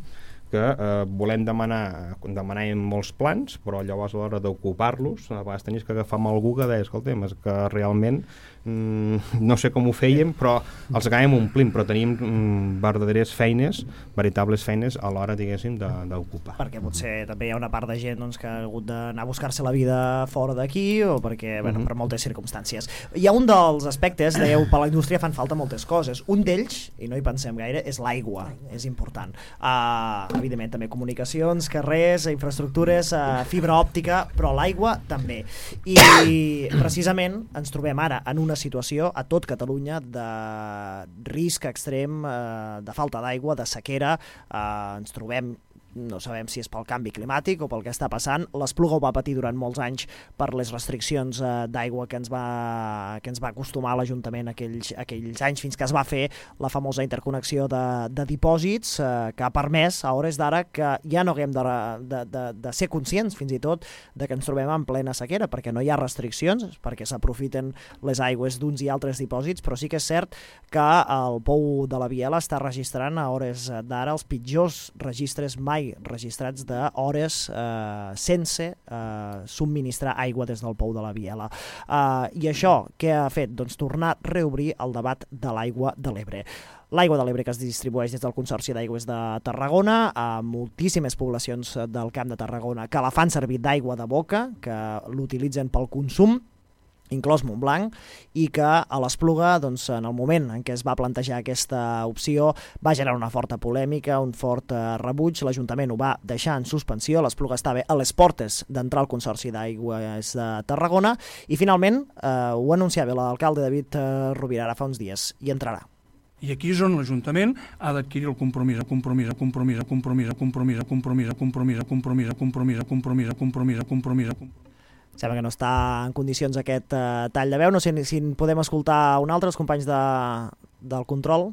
que eh, volem demanar, demanàvem molts plans, però llavors a l'hora d'ocupar-los, a vegades tenies que agafar amb algú que deia, escolta, és que realment mm, no sé com ho fèiem, però els acabem omplint, però tenim mm, verdaderes feines, veritables feines a l'hora, diguéssim, d'ocupar. Perquè potser també hi ha una part de gent doncs, que ha hagut d'anar a buscar-se la vida fora d'aquí, o perquè, bueno, uh -huh. per moltes circumstàncies. Hi ha un dels aspectes, dèieu, per la indústria fan falta moltes coses. Un d'ells, i no hi pensem gaire, és l'aigua, és important. Uh, evidentment també comunicacions, carrers, infraestructures, uh, fibra òptica, però l'aigua també. I precisament ens trobem ara en una situació a tot Catalunya de risc extrem, uh, de falta d'aigua, de sequera. Uh, ens trobem, no sabem si és pel canvi climàtic o pel que està passant. L'Espluga ho va patir durant molts anys per les restriccions eh, d'aigua que ens va que ens va acostumar l'Ajuntament aquells, aquells anys, fins que es va fer la famosa interconnexió de, de dipòsits eh, que ha permès a hores d'ara que ja no haguem de, de, de, de ser conscients fins i tot de que ens trobem en plena sequera, perquè no hi ha restriccions, perquè s'aprofiten les aigües d'uns i altres dipòsits, però sí que és cert que el pou de la Biela està registrant a hores d'ara els pitjors registres mai registrats d'hores eh, sense eh, subministrar aigua des del pou de la Biela. Eh, I això què ha fet? Doncs tornar a reobrir el debat de l'aigua de l'Ebre. L'aigua de l'Ebre que es distribueix des del Consorci d'Aigües de Tarragona a moltíssimes poblacions del Camp de Tarragona que la fan servir d'aigua de boca, que l'utilitzen pel consum, inclòs Montblanc, i que a l'Espluga, doncs, en el moment en què es va plantejar aquesta opció, va generar una forta polèmica, un fort eh, rebuig. L'Ajuntament ho va deixar en suspensió, l'Espluga estava a les portes d'entrar al Consorci d'Aigües de Tarragona, i finalment eh, ho anunciava l'alcalde David eh, Rovira ara fa uns dies, i entrarà. I aquí és on l'Ajuntament ha d'adquirir el compromís, el compromís, el compromís, el compromís, el compromís, el compromís, el compromís, el compromís, el compromís, el compromís, el compromís, el compromís, el compromís. Sembla que no està en condicions aquest uh, tall de veu. No sé si en podem escoltar un altre, els companys de, del control.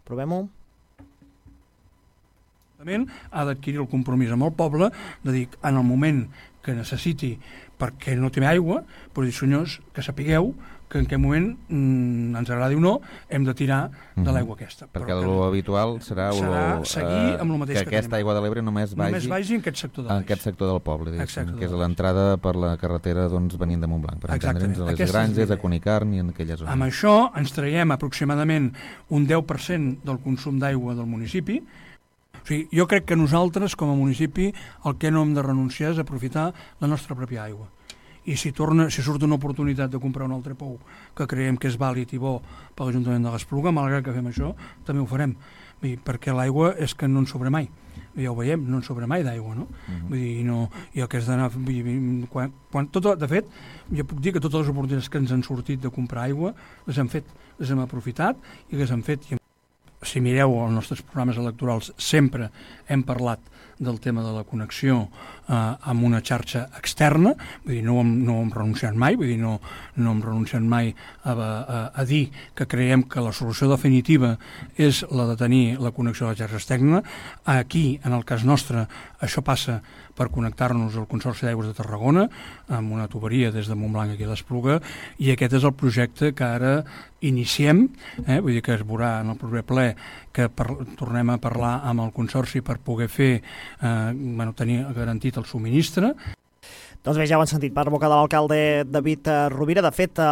Provem-ho. Ha d'adquirir el compromís amb el poble de dir, en el moment que necessiti perquè no té aigua, però dir, senyors, que sapigueu que en aquest moment, mm, ens agradi o no, hem de tirar de l'aigua aquesta. Perquè lo habitual serà, serà lo, seguir amb el mateix que, que aquesta tenim. aigua de l'Ebre només vagi, només vagi en aquest sector de en aquest sector del poble, Exacte, que és l'entrada per la carretera doncs, venint de Montblanc, per entendre'ns, a les Aquesta granges, a Cunicarn i en aquella zona. Amb això ens traiem aproximadament un deu per cent del consum d'aigua del municipi. O sigui, jo crec que nosaltres, com a municipi, el que no hem de renunciar és aprofitar la nostra pròpia aigua. I si, torna, si surt una oportunitat de comprar un altre pou que creiem que és vàlid i bo per l'Ajuntament de l'Espluga, malgrat que fem això, també ho farem. Vull dir, perquè l'aigua és que no en sobra mai. Ja ho veiem, no en sobra mai d'aigua, no? Uh-huh. Vull dir, no, i el que has d'anar... Quan, quan, tot, de fet, ja puc dir que totes les oportunitats que ens han sortit de comprar aigua les hem fet, les hem aprofitat i les hem fet. I si mireu els nostres programes electorals, sempre hem parlat del tema de la connexió eh, amb una xarxa externa, vull dir, no hem, no hem renunciat mai, vull dir, no, no hem renunciat mai a, a, a dir que creiem que la solució definitiva és la de tenir la connexió a la xarxa externa. Aquí, en el cas nostre, això passa per connectar-nos al Consorci d'Aigües de Tarragona amb una tuberia des de Montblanc aquí a l'Espluga, i aquest és el projecte que ara iniciem, eh? Vull dir que es veurà en el proper ple que per, tornem a parlar amb el Consorci per poder fer, eh, bueno, tenir garantit el subministre. Doncs bé, ja ho han sentit per boca de l'alcalde David Rovira. De fet, eh,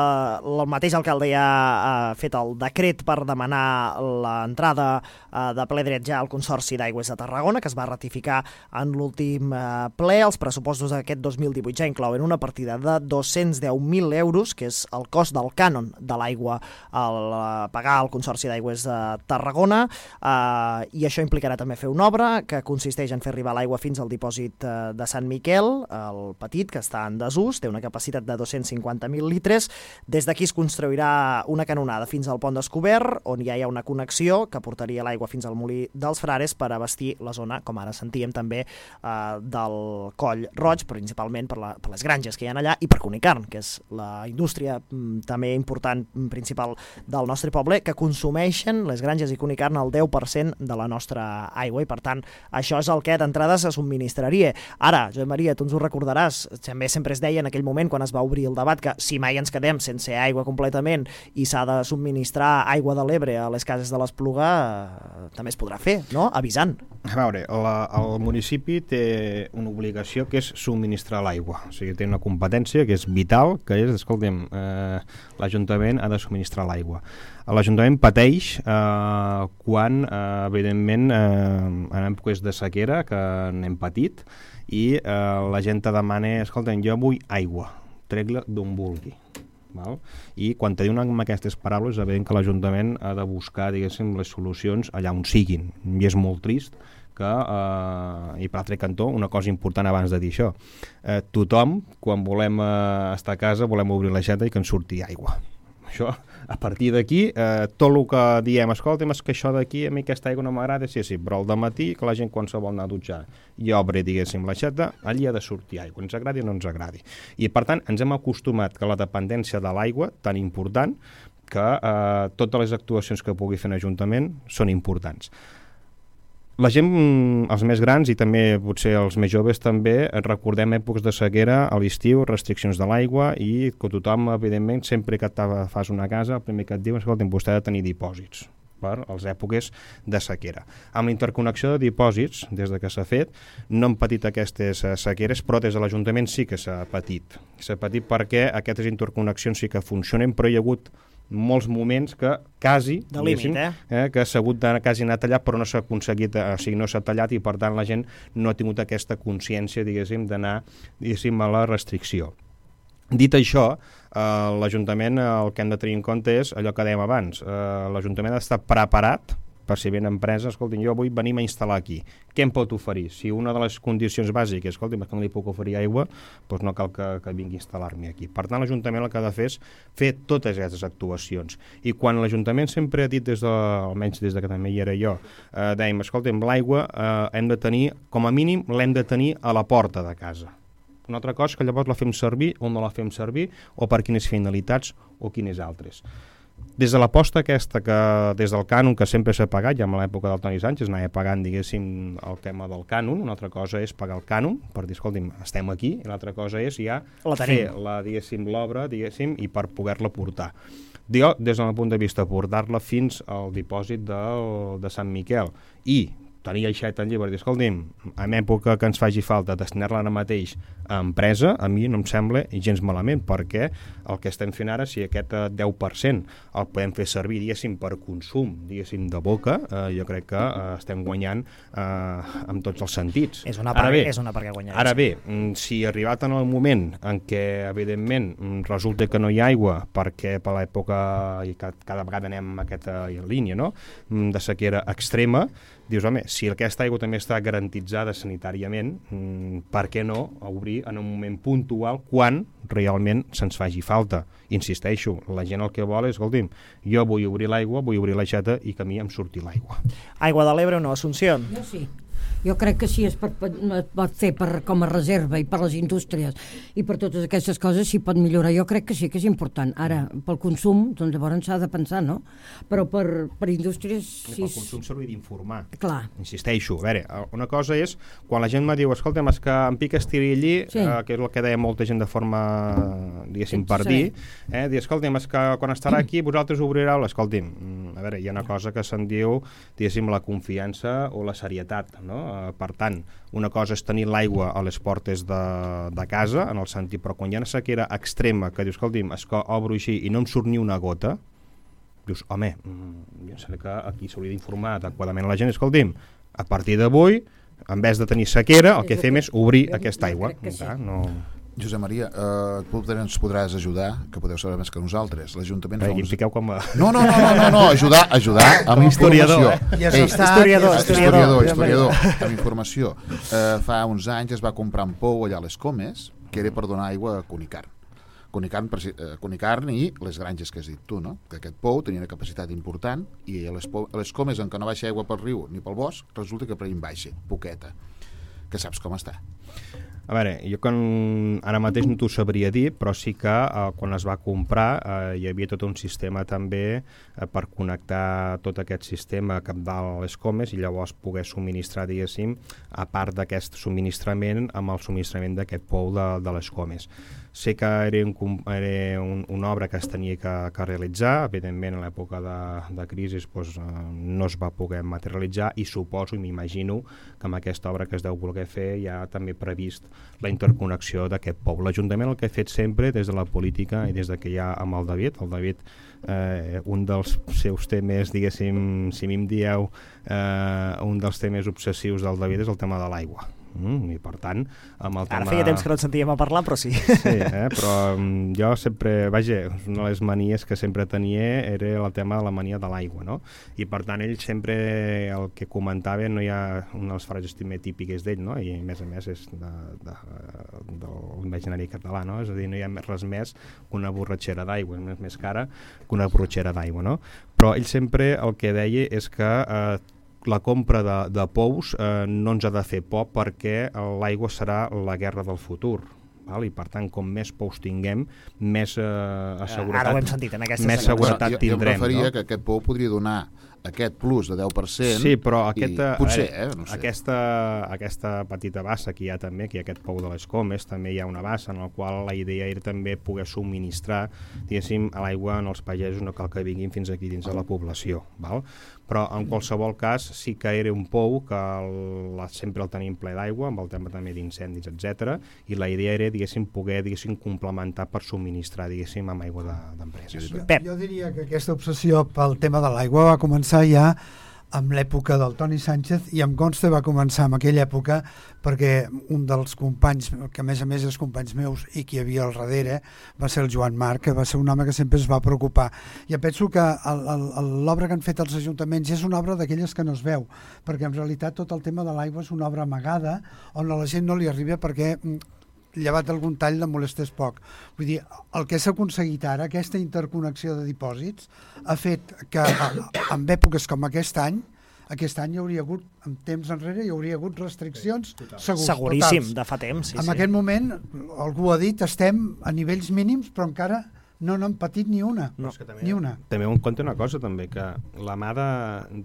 el mateix alcalde ja ha fet el decret per demanar l'entrada eh, de ple dret ja al Consorci d'Aigües de Tarragona, que es va ratificar en l'últim eh, ple. Els pressupostos d'aquest dos mil divuit ja inclouen una partida de dos-cents deu mil euros, que és el cost del cànon de l'aigua al eh, pagar al Consorci d'Aigües de Tarragona, eh, i això implicarà també fer una obra que consisteix en fer arribar l'aigua fins al dipòsit eh, de Sant Miquel, el petit, que està en desús, té una capacitat de dos-cents cinquanta mil litres. Des d'aquí es construirà una canonada fins al pont descobert, on ja hi ha una connexió que portaria l'aigua fins al molí dels Frares per abastir la zona, com ara sentíem també, eh, del Coll Roig, principalment per, la, per les granges que hi ha allà, i per Cunicarn, que és la indústria mm, també important, mm, principal del nostre poble, que consumeixen les granges i Cunicarn el deu per cent de la nostra aigua, i per tant això és el que d'entrada se subministraria. Ara, Josep Maria, tu ens ho recordaràs, també sempre es deia en aquell moment quan es va obrir el debat que si mai ens quedem sense aigua completament i s'ha de subministrar aigua de l'Ebre a les cases de l'Espluga, eh, també es podrà fer, no? Avisant. A veure, la, el municipi té una obligació que és subministrar l'aigua, o sigui, té una competència que és vital, que és, escolta'm, eh, l'Ajuntament ha de subministrar l'aigua. L'Ajuntament pateix eh, quan, eh, evidentment, eh, en èpoques de sequera, que n'hem patit, i eh, la gent te demana, escolta'm, jo vull aigua, trec-la d'on vulgui. Val? I quan te diuen amb aquestes paraules, és evident que l'Ajuntament ha de buscar, diguéssim, les solucions allà on siguin. I és molt trist que, eh, i per l'altre cantó, una cosa important abans de dir això, eh, tothom, quan volem eh, estar a casa, volem obrir l'aixeta i que ens surti aigua. Això, a partir d'aquí, eh, tot el que diem, escolta'm, és que això d'aquí, a mi aquesta aigua no m'agrada, sí, sí, però al dematí, que la gent quan se vol anar a dutxar i obre, diguéssim, l'aixeta, allí ha de sortir aigua, ens agradi o no ens agradi. I, per tant, ens hem acostumat que la dependència de l'aigua, tan important, que eh, totes les actuacions que pugui fer l'Ajuntament són importants. La gent, els més grans i també potser els més joves també, recordem èpoques de sequera a l'estiu, restriccions de l'aigua, i que tothom, evidentment, sempre que fas una casa, el primer que et diu és que vostè ha de tenir dipòsits per les èpoques de sequera. Amb la interconnexió de dipòsits, des de que s'ha fet, no han patit aquestes sequeres, però des de l'Ajuntament sí que s'ha patit. S'ha patit perquè aquestes interconnexions sí que funcionen, però hi ha hagut molts moments que quasi, de límit, eh? eh? que s'ha hagut de quasi anar tallat, però no s'ha aconseguit, o sigui, no s'ha tallat, i per tant la gent no ha tingut aquesta consciència, diguéssim, d'anar, diguéssim, a la restricció. Dit això, eh, l'Ajuntament, el que hem de tenir en compte és allò que dèiem abans, eh, l'Ajuntament ha d'estar preparat per si ve una empresa, escolti, jo vull venir a instal·lar aquí. Què em pot oferir? Si una de les condicions bàsiques, escolti, que no li puc oferir aigua, doncs no cal que, que vingui a instal·lar-me aquí. Per tant, l'Ajuntament el que ha de fer és fer totes aquestes actuacions. I quan l'Ajuntament sempre ha dit, des de, almenys des de que també hi era jo, eh, dèiem, escolti, l'aigua eh, hem de tenir, com a mínim, l'hem de tenir a la porta de casa. Una altra cosa que llavors la fem servir o no la fem servir, o per quines finalitats o quines altres. Des de l'aposta aquesta, que des del cànon que sempre s'ha pagat, ja en l'època del Toni Sánchez anava pagant, diguéssim, el tema del cànon, una altra cosa és pagar el cànon, per dir, escolti'm, estem aquí, i l'altra cosa és ja la fer la, diguéssim, l'obra, diguéssim, i per poder-la portar. Jo, des del punt de vista, portar-la fins al dipòsit de, de Sant Miquel, i tenir aixeta en llibre, dir, escolti'm, en època que ens faci falta destinar-la ara mateix a empresa, a mi no em sembla gens malament, perquè el que estem fent ara, si aquest deu per cent el podem fer servir, diguéssim, per consum, diguéssim, de boca, eh, jo crec que eh, estem guanyant eh, en tots els sentits. És una part, és una part que guanyarem. Ara bé, si arribat en el moment en què, evidentment, resulta que no hi ha aigua, perquè per l'època, i cada vegada anem en aquesta línia, no?, de sequera extrema, dius, home, si aquesta aigua també està garantitzada sanitàriament, per què no obrir en un moment puntual quan realment se'ns faci falta. Insisteixo, la gent el que vol és, escolti'm, jo vull obrir l'aigua, vull obrir l'aixeta i que a mi em surti l'aigua. Aigua de l'Ebre o no, Assumpció? Jo sí. Jo crec que sí, es pot, es pot fer per, com a reserva i per les indústries i per totes aquestes coses s'hi pot millorar. Jo crec que sí, que és important. Ara, pel consum, doncs llavors s'ha de pensar, no? Però per, per indústries... Sí, pel consum s'hauria d'informar. Clar. Insisteixo. A veure, una cosa és, quan la gent me diu, escolta'm, és que em pica estirillí, sí. eh, que és el que deia molta gent de forma, diguéssim, per dir, eh, dir, escolta'm, és que quan estarà aquí vosaltres obrireu, escolti'm, a veure, hi ha una cosa que se'n diu, diguéssim, la confiança o la serietat, no? Per tant, una cosa és tenir l'aigua a les portes de, de casa, en el sentit, però quan hi ha una sequera extrema que dius, escolti'm, és que obro així i no em surt ni una gota, dius, home, jo sé que aquí s'hauria d'informar adequadament a la gent, escolti'm, a partir d'avui, en vez de tenir sequera, el que fem és obrir aquesta aigua. Clar, no... Josep Maria, eh, tu ens podràs ajudar, que podeu saber més que nosaltres. L'Ajuntament fa uns... uns... piqueu com a... No, no, no, no, no, no, ajudar, ajudar amb informació. Eh? Ja Ei, historiador, historiador, historiador, historiador, amb informació. Eh, fa uns anys es va comprar un pou allà a les Comes, que era per donar aigua a Cunicarn. Cunicarn, eh, Cunicarn i les granges que has dit tu, no? Que aquest pou tenia una capacitat important i a les, pou, a les Comes, en què no baixa aigua pel riu ni pel bosc, resulta que per allà baixa, poqueta. Que saps com està? A veure, jo quan, ara mateix no t'ho sabria dir, però sí que eh, quan es va comprar eh, hi havia tot un sistema també eh, per connectar tot aquest sistema cap dalt a les Comes i llavors poder subministrar, diguéssim, a part d'aquest subministrament amb el subministrament d'aquest pou de, de les Comes. Sé que era, un, era un, una obra que es tenia que, que realitzar, evidentment en l'època de, de crisi doncs, eh, no es va poder materialitzar i suposo i m'imagino que amb aquesta obra que es deu voler fer hi ha també previst la interconnexió d'aquest pou. L'Ajuntament el que ha fet sempre des de la política i des de que hi ha amb el David, el David eh, un dels seus temes, diguéssim, si mi em dieu eh, un dels temes obsessius del David és el tema de l'aigua. Mm, i per tant amb el tema... Ara feia temps que no et sentíem a parlar, però sí. Sí, eh? Però um, jo sempre, vaja, una de les manies que sempre tenia era el tema de la mania de l'aigua, no? I per tant ell sempre el que comentava, no hi ha una de les frases també típiques d'ell, no? I a més a més és de, de, del imaginari català, no? És a dir, no hi ha res més que una borratxera d'aigua, és més cara que una borratxera d'aigua, no? Però ell sempre el que deia és que eh, la compra de, de pous eh, no ens ha de fer por perquè l'aigua serà la guerra del futur. Val? I per tant, com més pous tinguem, més eh, seguretat, Ara ho hem sentit en aquesta més seguretat jo, tindrem. Jo em referia no? que aquest pou podria donar aquest plus de deu per cent. Sí, però aquesta, potser, veure, eh, no sé. aquesta, aquesta petita bassa que hi ha també, que hi ha aquest pou de les Comes, també hi ha una bassa en la qual la idea era també poder subministrar, diguéssim, a l'aigua en els pagesos, no cal que vinguin fins aquí dins de la població, val? Però en qualsevol cas sí que era un pou que el, sempre el tenim ple d'aigua, amb el tema també d'incendis, etcètera, i la idea era, diguéssim, poder, diguéssim, complementar per subministrar, diguéssim, amb aigua d'empreses. Jo, jo diria que aquesta obsessió pel tema de l'aigua va començar ja amb l'època del Toni Sánchez i em consta va començar en aquella època perquè un dels companys, que a més a més és companys meus i qui hi havia al darrere, va ser el Joan Marc, que va ser un home que sempre es va preocupar. I penso que l'obra que han fet els ajuntaments és una obra d'aquelles que no es veu, perquè en realitat tot el tema de l'aigua és una obra amagada on a la gent no li arriba perquè llevat algun tall de molestés poc. Vull dir, el que s'ha aconseguit ara, aquesta interconnexió de dipòsits, ha fet que en èpoques com aquest any, aquest any hi hauria hagut, en temps enrere, hi hauria hagut restriccions segurs, seguríssim, totals. De fa temps. Sí, en sí. aquest moment, algú ha dit, estem a nivells mínims, però encara no n'han patit ni una. No. També, ni una. També un compte una cosa, també, que la mà de,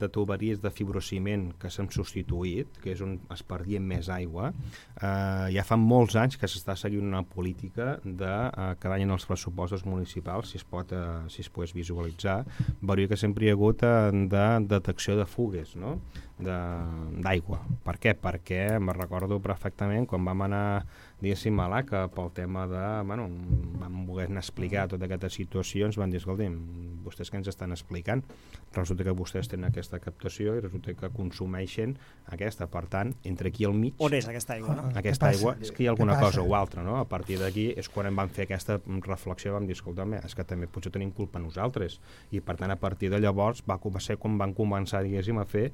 de tuberies de fibrociment que s'han substituït, que és on es perdien més aigua, eh, ja fa molts anys que s'està seguint una política de eh, cada any en els pressupostos municipals, si es pot, eh, si es pot visualitzar, veuria que sempre hi ha hagut eh, de detecció de fugues, no? d'aigua. Per què? Perquè me'n recordo perfectament quan vam anar, diguéssim, a l'A C A pel tema de, bueno, vam voler explicar tota aquesta situació, ens van dir, escolti'm, vostès què ens estan explicant? Resulta que vostès tenen aquesta captació i resulta que consumeixen aquesta, per tant, entre aquí al mig... On és aquesta aigua, no? Aquesta aigua, és que hi ha alguna cosa o altra, no? A partir d'aquí és quan em van fer aquesta reflexió, vam dir, escolta'm, és que també potser tenim culpa nosaltres, i per tant, a partir de llavors va ser quan van començar, diguéssim, a fer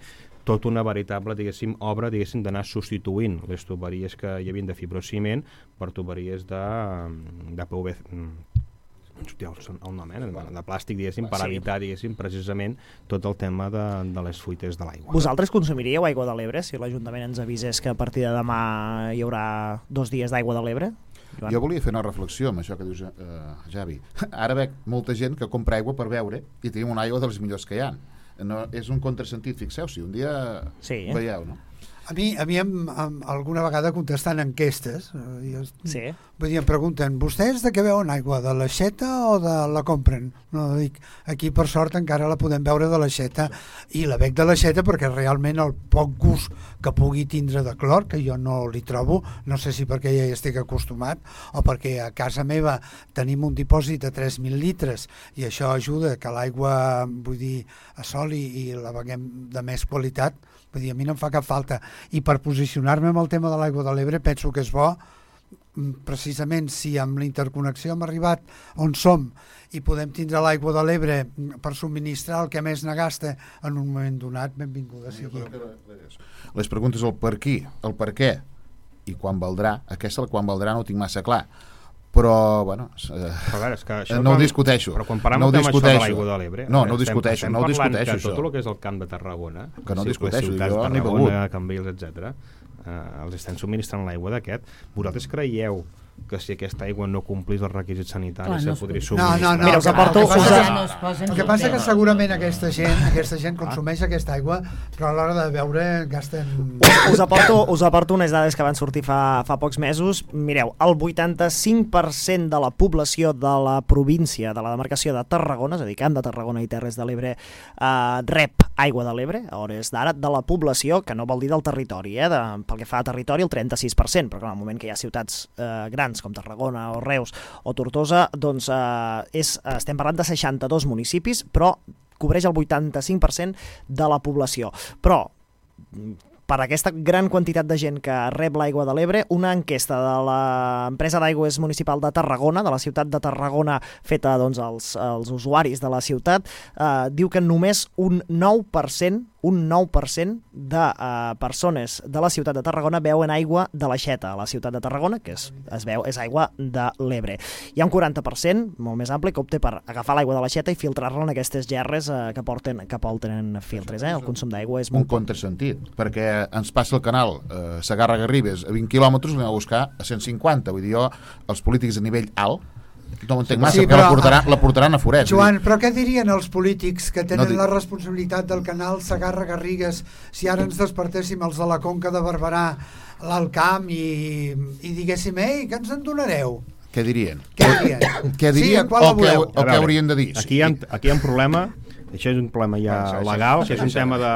tot una veritable, diguéssim, obra, diguéssim, d'anar substituint les tuberies que hi havia de fibrociment per tuberies de, de P V C, el nom, eh? de, de plàstic, diguéssim, per sí. evitar, diguéssim, precisament tot el tema de, de les fuites de l'aigua. Vosaltres consumiríeu aigua de l'Ebre si l'Ajuntament ens avisés que a partir de demà hi haurà dos dies d'aigua de l'Ebre? Joan? Jo volia fer una reflexió amb això que dius, eh, Javi. Ara veig molta gent que compra aigua per beure i tenim una aigua de les millors que hi ha. No, és un contrasentit, fixeu-s'hi, un dia sí, eh? veieu, no? A mi, a mi em, em, alguna vegada contestant enquestes, eh, jo, sí. vull dir, em pregunten, vostès de què veuen aigua, de l'aixeta o de la compren? No, dic, aquí per sort encara la podem veure de l'aixeta, i la bec de l'aixeta perquè realment el poc gust que pugui tindre de clor, que jo no li trobo, no sé si perquè ja hi estic acostumat o perquè a casa meva tenim un dipòsit de tres mil litres i això ajuda que l'aigua, vull dir, assoli i la beguem de més qualitat. Vull dir, a mi no em fa cap falta. I per posicionar-me amb el tema de l'aigua de l'Ebre penso que és bo, precisament si amb la interconnexió hem arribat on som i podem tindre l'aigua de l'Ebre per subministrar el que més ne gasta en un moment donat, benvinguda sigui. Les preguntes el per qui, el per què i quan valdrà, aquesta el quan valdrà no ho tinc massa clar, però bueno, eh, però veure, és que això no ho quan, discuteixo, però quan parlem no ho del tema això de discuteixo. l'aigua de l'Ebre, no, no ho estem, discuteixo, estem no ho discuteixo que això. tot el que és el camp de Tarragona, que no sí, discuteixo, les ciutats jo de n'he Tarragona, begut. Cambrils, etcètera, eh, els estan subministrant l'aigua d'aquest. Vosaltres creieu que si aquesta aigua no complís els requisits sanitaris Clar, no se podria No, subministrar? no, no. Mira, us aporto... El que passa, Ja no es posa en el que passa dubte. que segurament aquesta gent, aquesta gent consumeix aquesta aigua, però a l'hora de beure gasten... Us aporto, us aporto unes dades que van sortir fa, fa pocs mesos. Mireu, el vuitanta-cinc per cent de la població de la província, de la demarcació de Tarragona, és a dir, Camp de Tarragona i Terres de l'Ebre, eh, rep aigua de l'Ebre, a hores d'ara, de la població, que no vol dir del territori, eh, de, pel que fa a territori, el trenta-sis per cent, però clar, en el moment que hi ha ciutats eh, grans com Tarragona o Reus o Tortosa, doncs eh, és, estem parlant de seixanta-dos municipis, però cobreix el vuitanta-cinc per cent de la població. Però per aquesta gran quantitat de gent que rep l'aigua de l'Ebre, una enquesta de l'empresa d'aigües municipal de Tarragona, de la ciutat de Tarragona, feta doncs, als, als usuaris de la ciutat, eh, diu que només un nou per cent un nou per cent de uh, persones de la ciutat de Tarragona beuen aigua de l'aixeta a la ciutat de Tarragona, que és, es veu és aigua de l'Ebre. Hi ha un quaranta per cent, molt més ampli, que opta per agafar l'aigua de l'aixeta i filtrar-la en aquestes gerres uh, que porten que porten filtres. Eh? El consum d'aigua és un molt... contrasentit, perquè ens passa el canal eh, Segarra-Garrigues a vint quilòmetres, l'anem a buscar a cent cinquanta. Vull dir, jo, els polítics a nivell alt, no m'entenc massa, Sí, que però- la portaran, la portaran a Forès. Joan, però què dirien els polítics que tenen No dic- la responsabilitat del canal Segarra-Garrigues si ara ens despertéssim els de la Conca de Barberà, l'Alt Camp i, i diguéssim, ei, què ens en donareu? Què dirien? Què dirien? Què dirien Sí, a qual o la què, voleu? o què haurien de dir? Aquí hi ha, aquí hi ha un problema, això és un problema ja Això, això, legal, això, que és un això. tema de,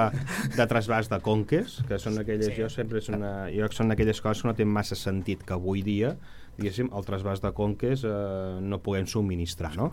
de trasbàs de conques, que són aquelles, Sí. jo sempre és una, jo que són aquelles coses que no tenen massa sentit que avui dia, diguéssim, el trasbàs de conques eh, no puguem subministrar, no?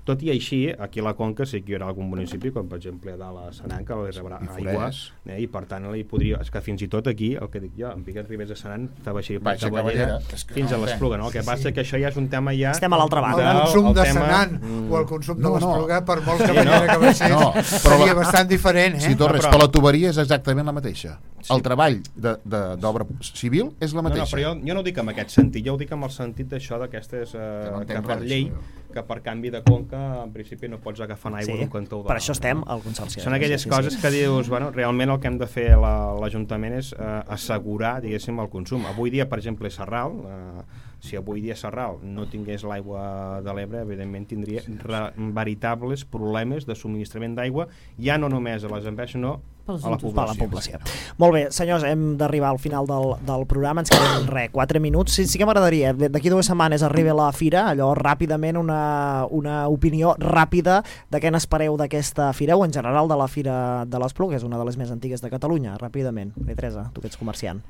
Tot i així, aquí a la Conca sí que hi haurà algun municipi, com per exemple a dalt a Senan, que li rebrà I aigua, Forès. eh, i per tant li podria, és que fins i tot aquí, el que dic jo, en Piquet Ribes de Senan, estava així Baixa de Cavallera, Cavallera, és que fins no a l'Espluga, no? El que Sí, passa sí. que això ja és un tema ja... Estem a l'altra El banda. consum el de tema- Senan Mm. o el consum de No, no. l'Espluga, per molt Sí, cavallera no. que baixés, No, però seria la- bastant diferent, eh? Si Torres, No, però... però- la tuberia és exactament la mateixa. El treball de- de- d'obra civil és la No, no, mateixa. però jo, jo no ho dic en aquest sentit, jo ho dic amb el sentit d'això d'aquestes, eh, no que, entenc per res, llei, això. que per canvi de conca, en principi no pots agafar aigua Sí, d'un cantó o de per això l'altre, estem no? al Consorci. Són aquelles Sí, sí, coses sí. que dius, bueno, realment el que hem de fer la- l'Ajuntament és eh, assegurar, diguéssim, el consum. Avui dia, per exemple, Sarral, eh, si avui dia Sarral no tingués l'aigua de l'Ebre, evidentment tindria re, veritables problemes de subministrament d'aigua, ja no només a les empreses, sinó Pels a la entorns. Per a la població. Molt bé, senyors, hem d'arribar al final del, del programa, ens queden res, quatre minuts. Sí, sí que m'agradaria, d'aquí dues setmanes arriba la fira, allò ràpidament, una, una opinió ràpida de què n'espereu d'aquesta fira, o en general de la Fira de l'Espluga, que és una de les més antigues de Catalunya, ràpidament. Bé, Teresa, tu que ets comerciant.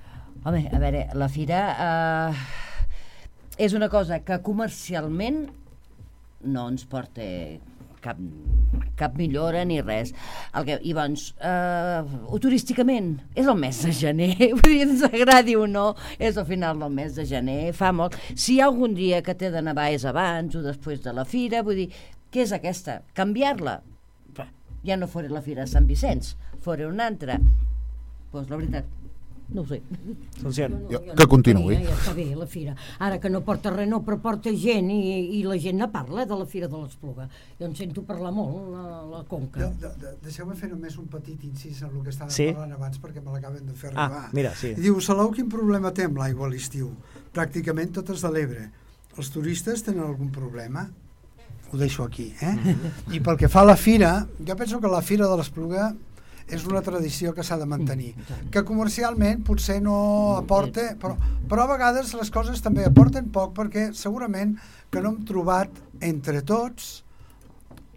Home, a veure, la fira eh, és una cosa que comercialment no ens porta cap, cap millora ni res. El que, I doncs, eh, o turísticament, és el mes de gener, vull dir, ens agradi o no, és al final del mes de gener, fa molt. Si hi ha algun dia que té de nevar és abans o després de la fira, vull dir, què és aquesta? Canviar-la? Ja no fora la fira de Sant Vicenç, fora una altra. pues, la veritat, no ho sé. Assumpció. No, no, Jo- jo que no continuï. tenia, Ja està bé, la fira. Ara que no porta res, no, però porta gent i, i la gent ne parla de la Fira de l'Espluga. Jo en sento parlar molt, la, la Conca. De, de, de, deixeu-me fer només un petit incís en el que estàvem Sí. parlant abans perquè me l'acaben de fer Ah, arribar. mira, sí. I diu, Salou, quin problema té amb l'aigua a l'estiu? Pràcticament totes de l'Ebre. Els turistes tenen algun problema? Ho deixo aquí, eh? I pel que fa a la fira, jo penso que la Fira de l'Espluga és una tradició que s'ha de mantenir, que comercialment potser no aporta, però, però a vegades les coses també aporten poc, perquè segurament que no hem trobat entre tots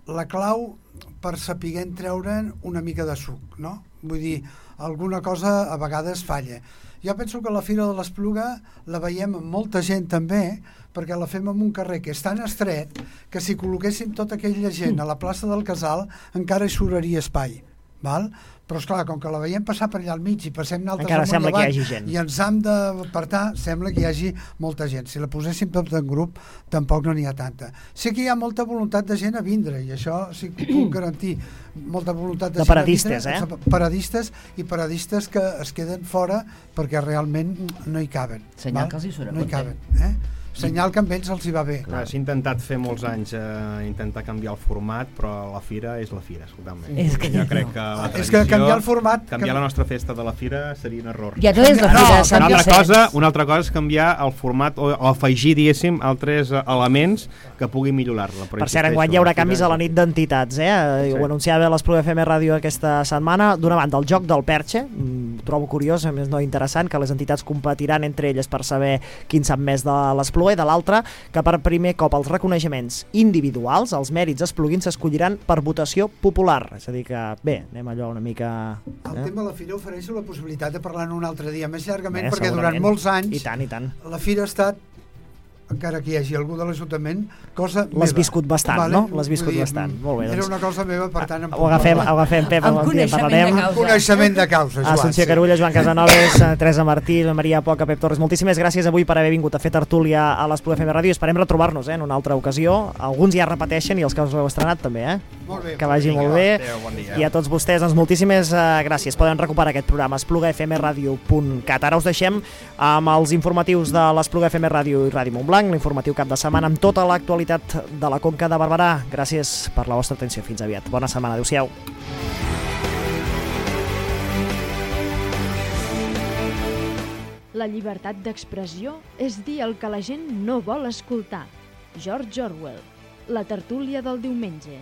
la clau per saber treure'n una mica de suc, no? Vull dir, alguna cosa a vegades falla. Jo penso que la Fira de l'Espluga la veiem amb molta gent també, perquè la fem en un carrer que és tan estret que si col·loquéssim tota aquella gent a la plaça del Casal encara hi sobraria espai. Val? Però esclar, com que la veiem passar per allà al mig i passem naltres Encara amunt i sembla que hi avall hagi gent. i ens hem d'apartar, sembla que hi hagi molta gent. Si la poséssim tot en grup tampoc no n'hi ha tanta. Sé que hi ha molta voluntat de gent a vindre i això sí que puc garantir, molta voluntat de, De gent paradistes, a vindre, eh? paradistes i paradistes que es queden fora perquè realment no hi caben. Senyal val? que els hi surt a no hi compte. caben, eh? Senyal que amb ells els hi va bé. Clar, s'ha intentat fer molts anys eh, intentar canviar el format, però la fira és la fira, escolta'm. És que jo no. crec que la És tradició, que canviar el format... canviar canvi- la nostra festa de la fira seria un error. Ja no és la No, fira de no, Sant Una altra, Vicenç. cosa, una altra cosa és canviar el format o, o afegir, diguéssim, altres eh, elements que puguin millorar-la. Per cert, enguany hi haurà canvis a la nit d'entitats, eh? Sí. Ho anunciava l'Espluga F M Ràdio aquesta setmana. D'una banda, el joc del Perxe, mm, trobo curiós, a més no interessant, que les entitats competiran entre elles per saber quin sap més de l'Espluga, i de l'altra, que per primer cop els reconeixements individuals, els mèrits espluguins, s'escolliran per votació popular. És a dir que, bé, anem allò una mica... El tema de la fira ofereix la possibilitat de parlar un altre dia més llargament, Bé, perquè segurament. durant molts anys I tant, i tant. la fira ha estat, encara que hi hagi algú de l'Ajuntament, cosa meva. L'has viscut bastant, no? L'has viscut Vull dir, bastant. Molt bé, Era doncs. una cosa meva, per tant... em Ho puc agafem, parlar. ho agafem, Pep, Amb un dia en coneixement parlarem. de causa. Coneixement de causa, Joan. Assumpció sí. Carulla, Joan Casanovas, eh, Teresa Martí, la Maria Poca, Pep Torres, moltíssimes gràcies avui per haver vingut a fer tertúlia a l'Espluga F M Ràdio. Esperem retrobar-nos eh, en una altra ocasió. Alguns ja repeteixen i els que us heu estrenat també, eh? Molt bé. Que vagi molt bé. Adéu, bon dia. I a tots vostès, doncs moltíssimes eh, gràcies. Poden recuperar aquest programa espluga f m radio punt cat. Ara us deixem amb els informatius de l'Espluga F M Ràdio i Ràdio Montblanc, l'informatiu cap de setmana amb tota l'actualitat de la Conca de Barberà. Gràcies per la vostra atenció. Fins aviat. Bona setmana. Adéu-siau. La llibertat d'expressió és dir el que la gent no vol escoltar. George Orwell. La tertúlia del diumenge.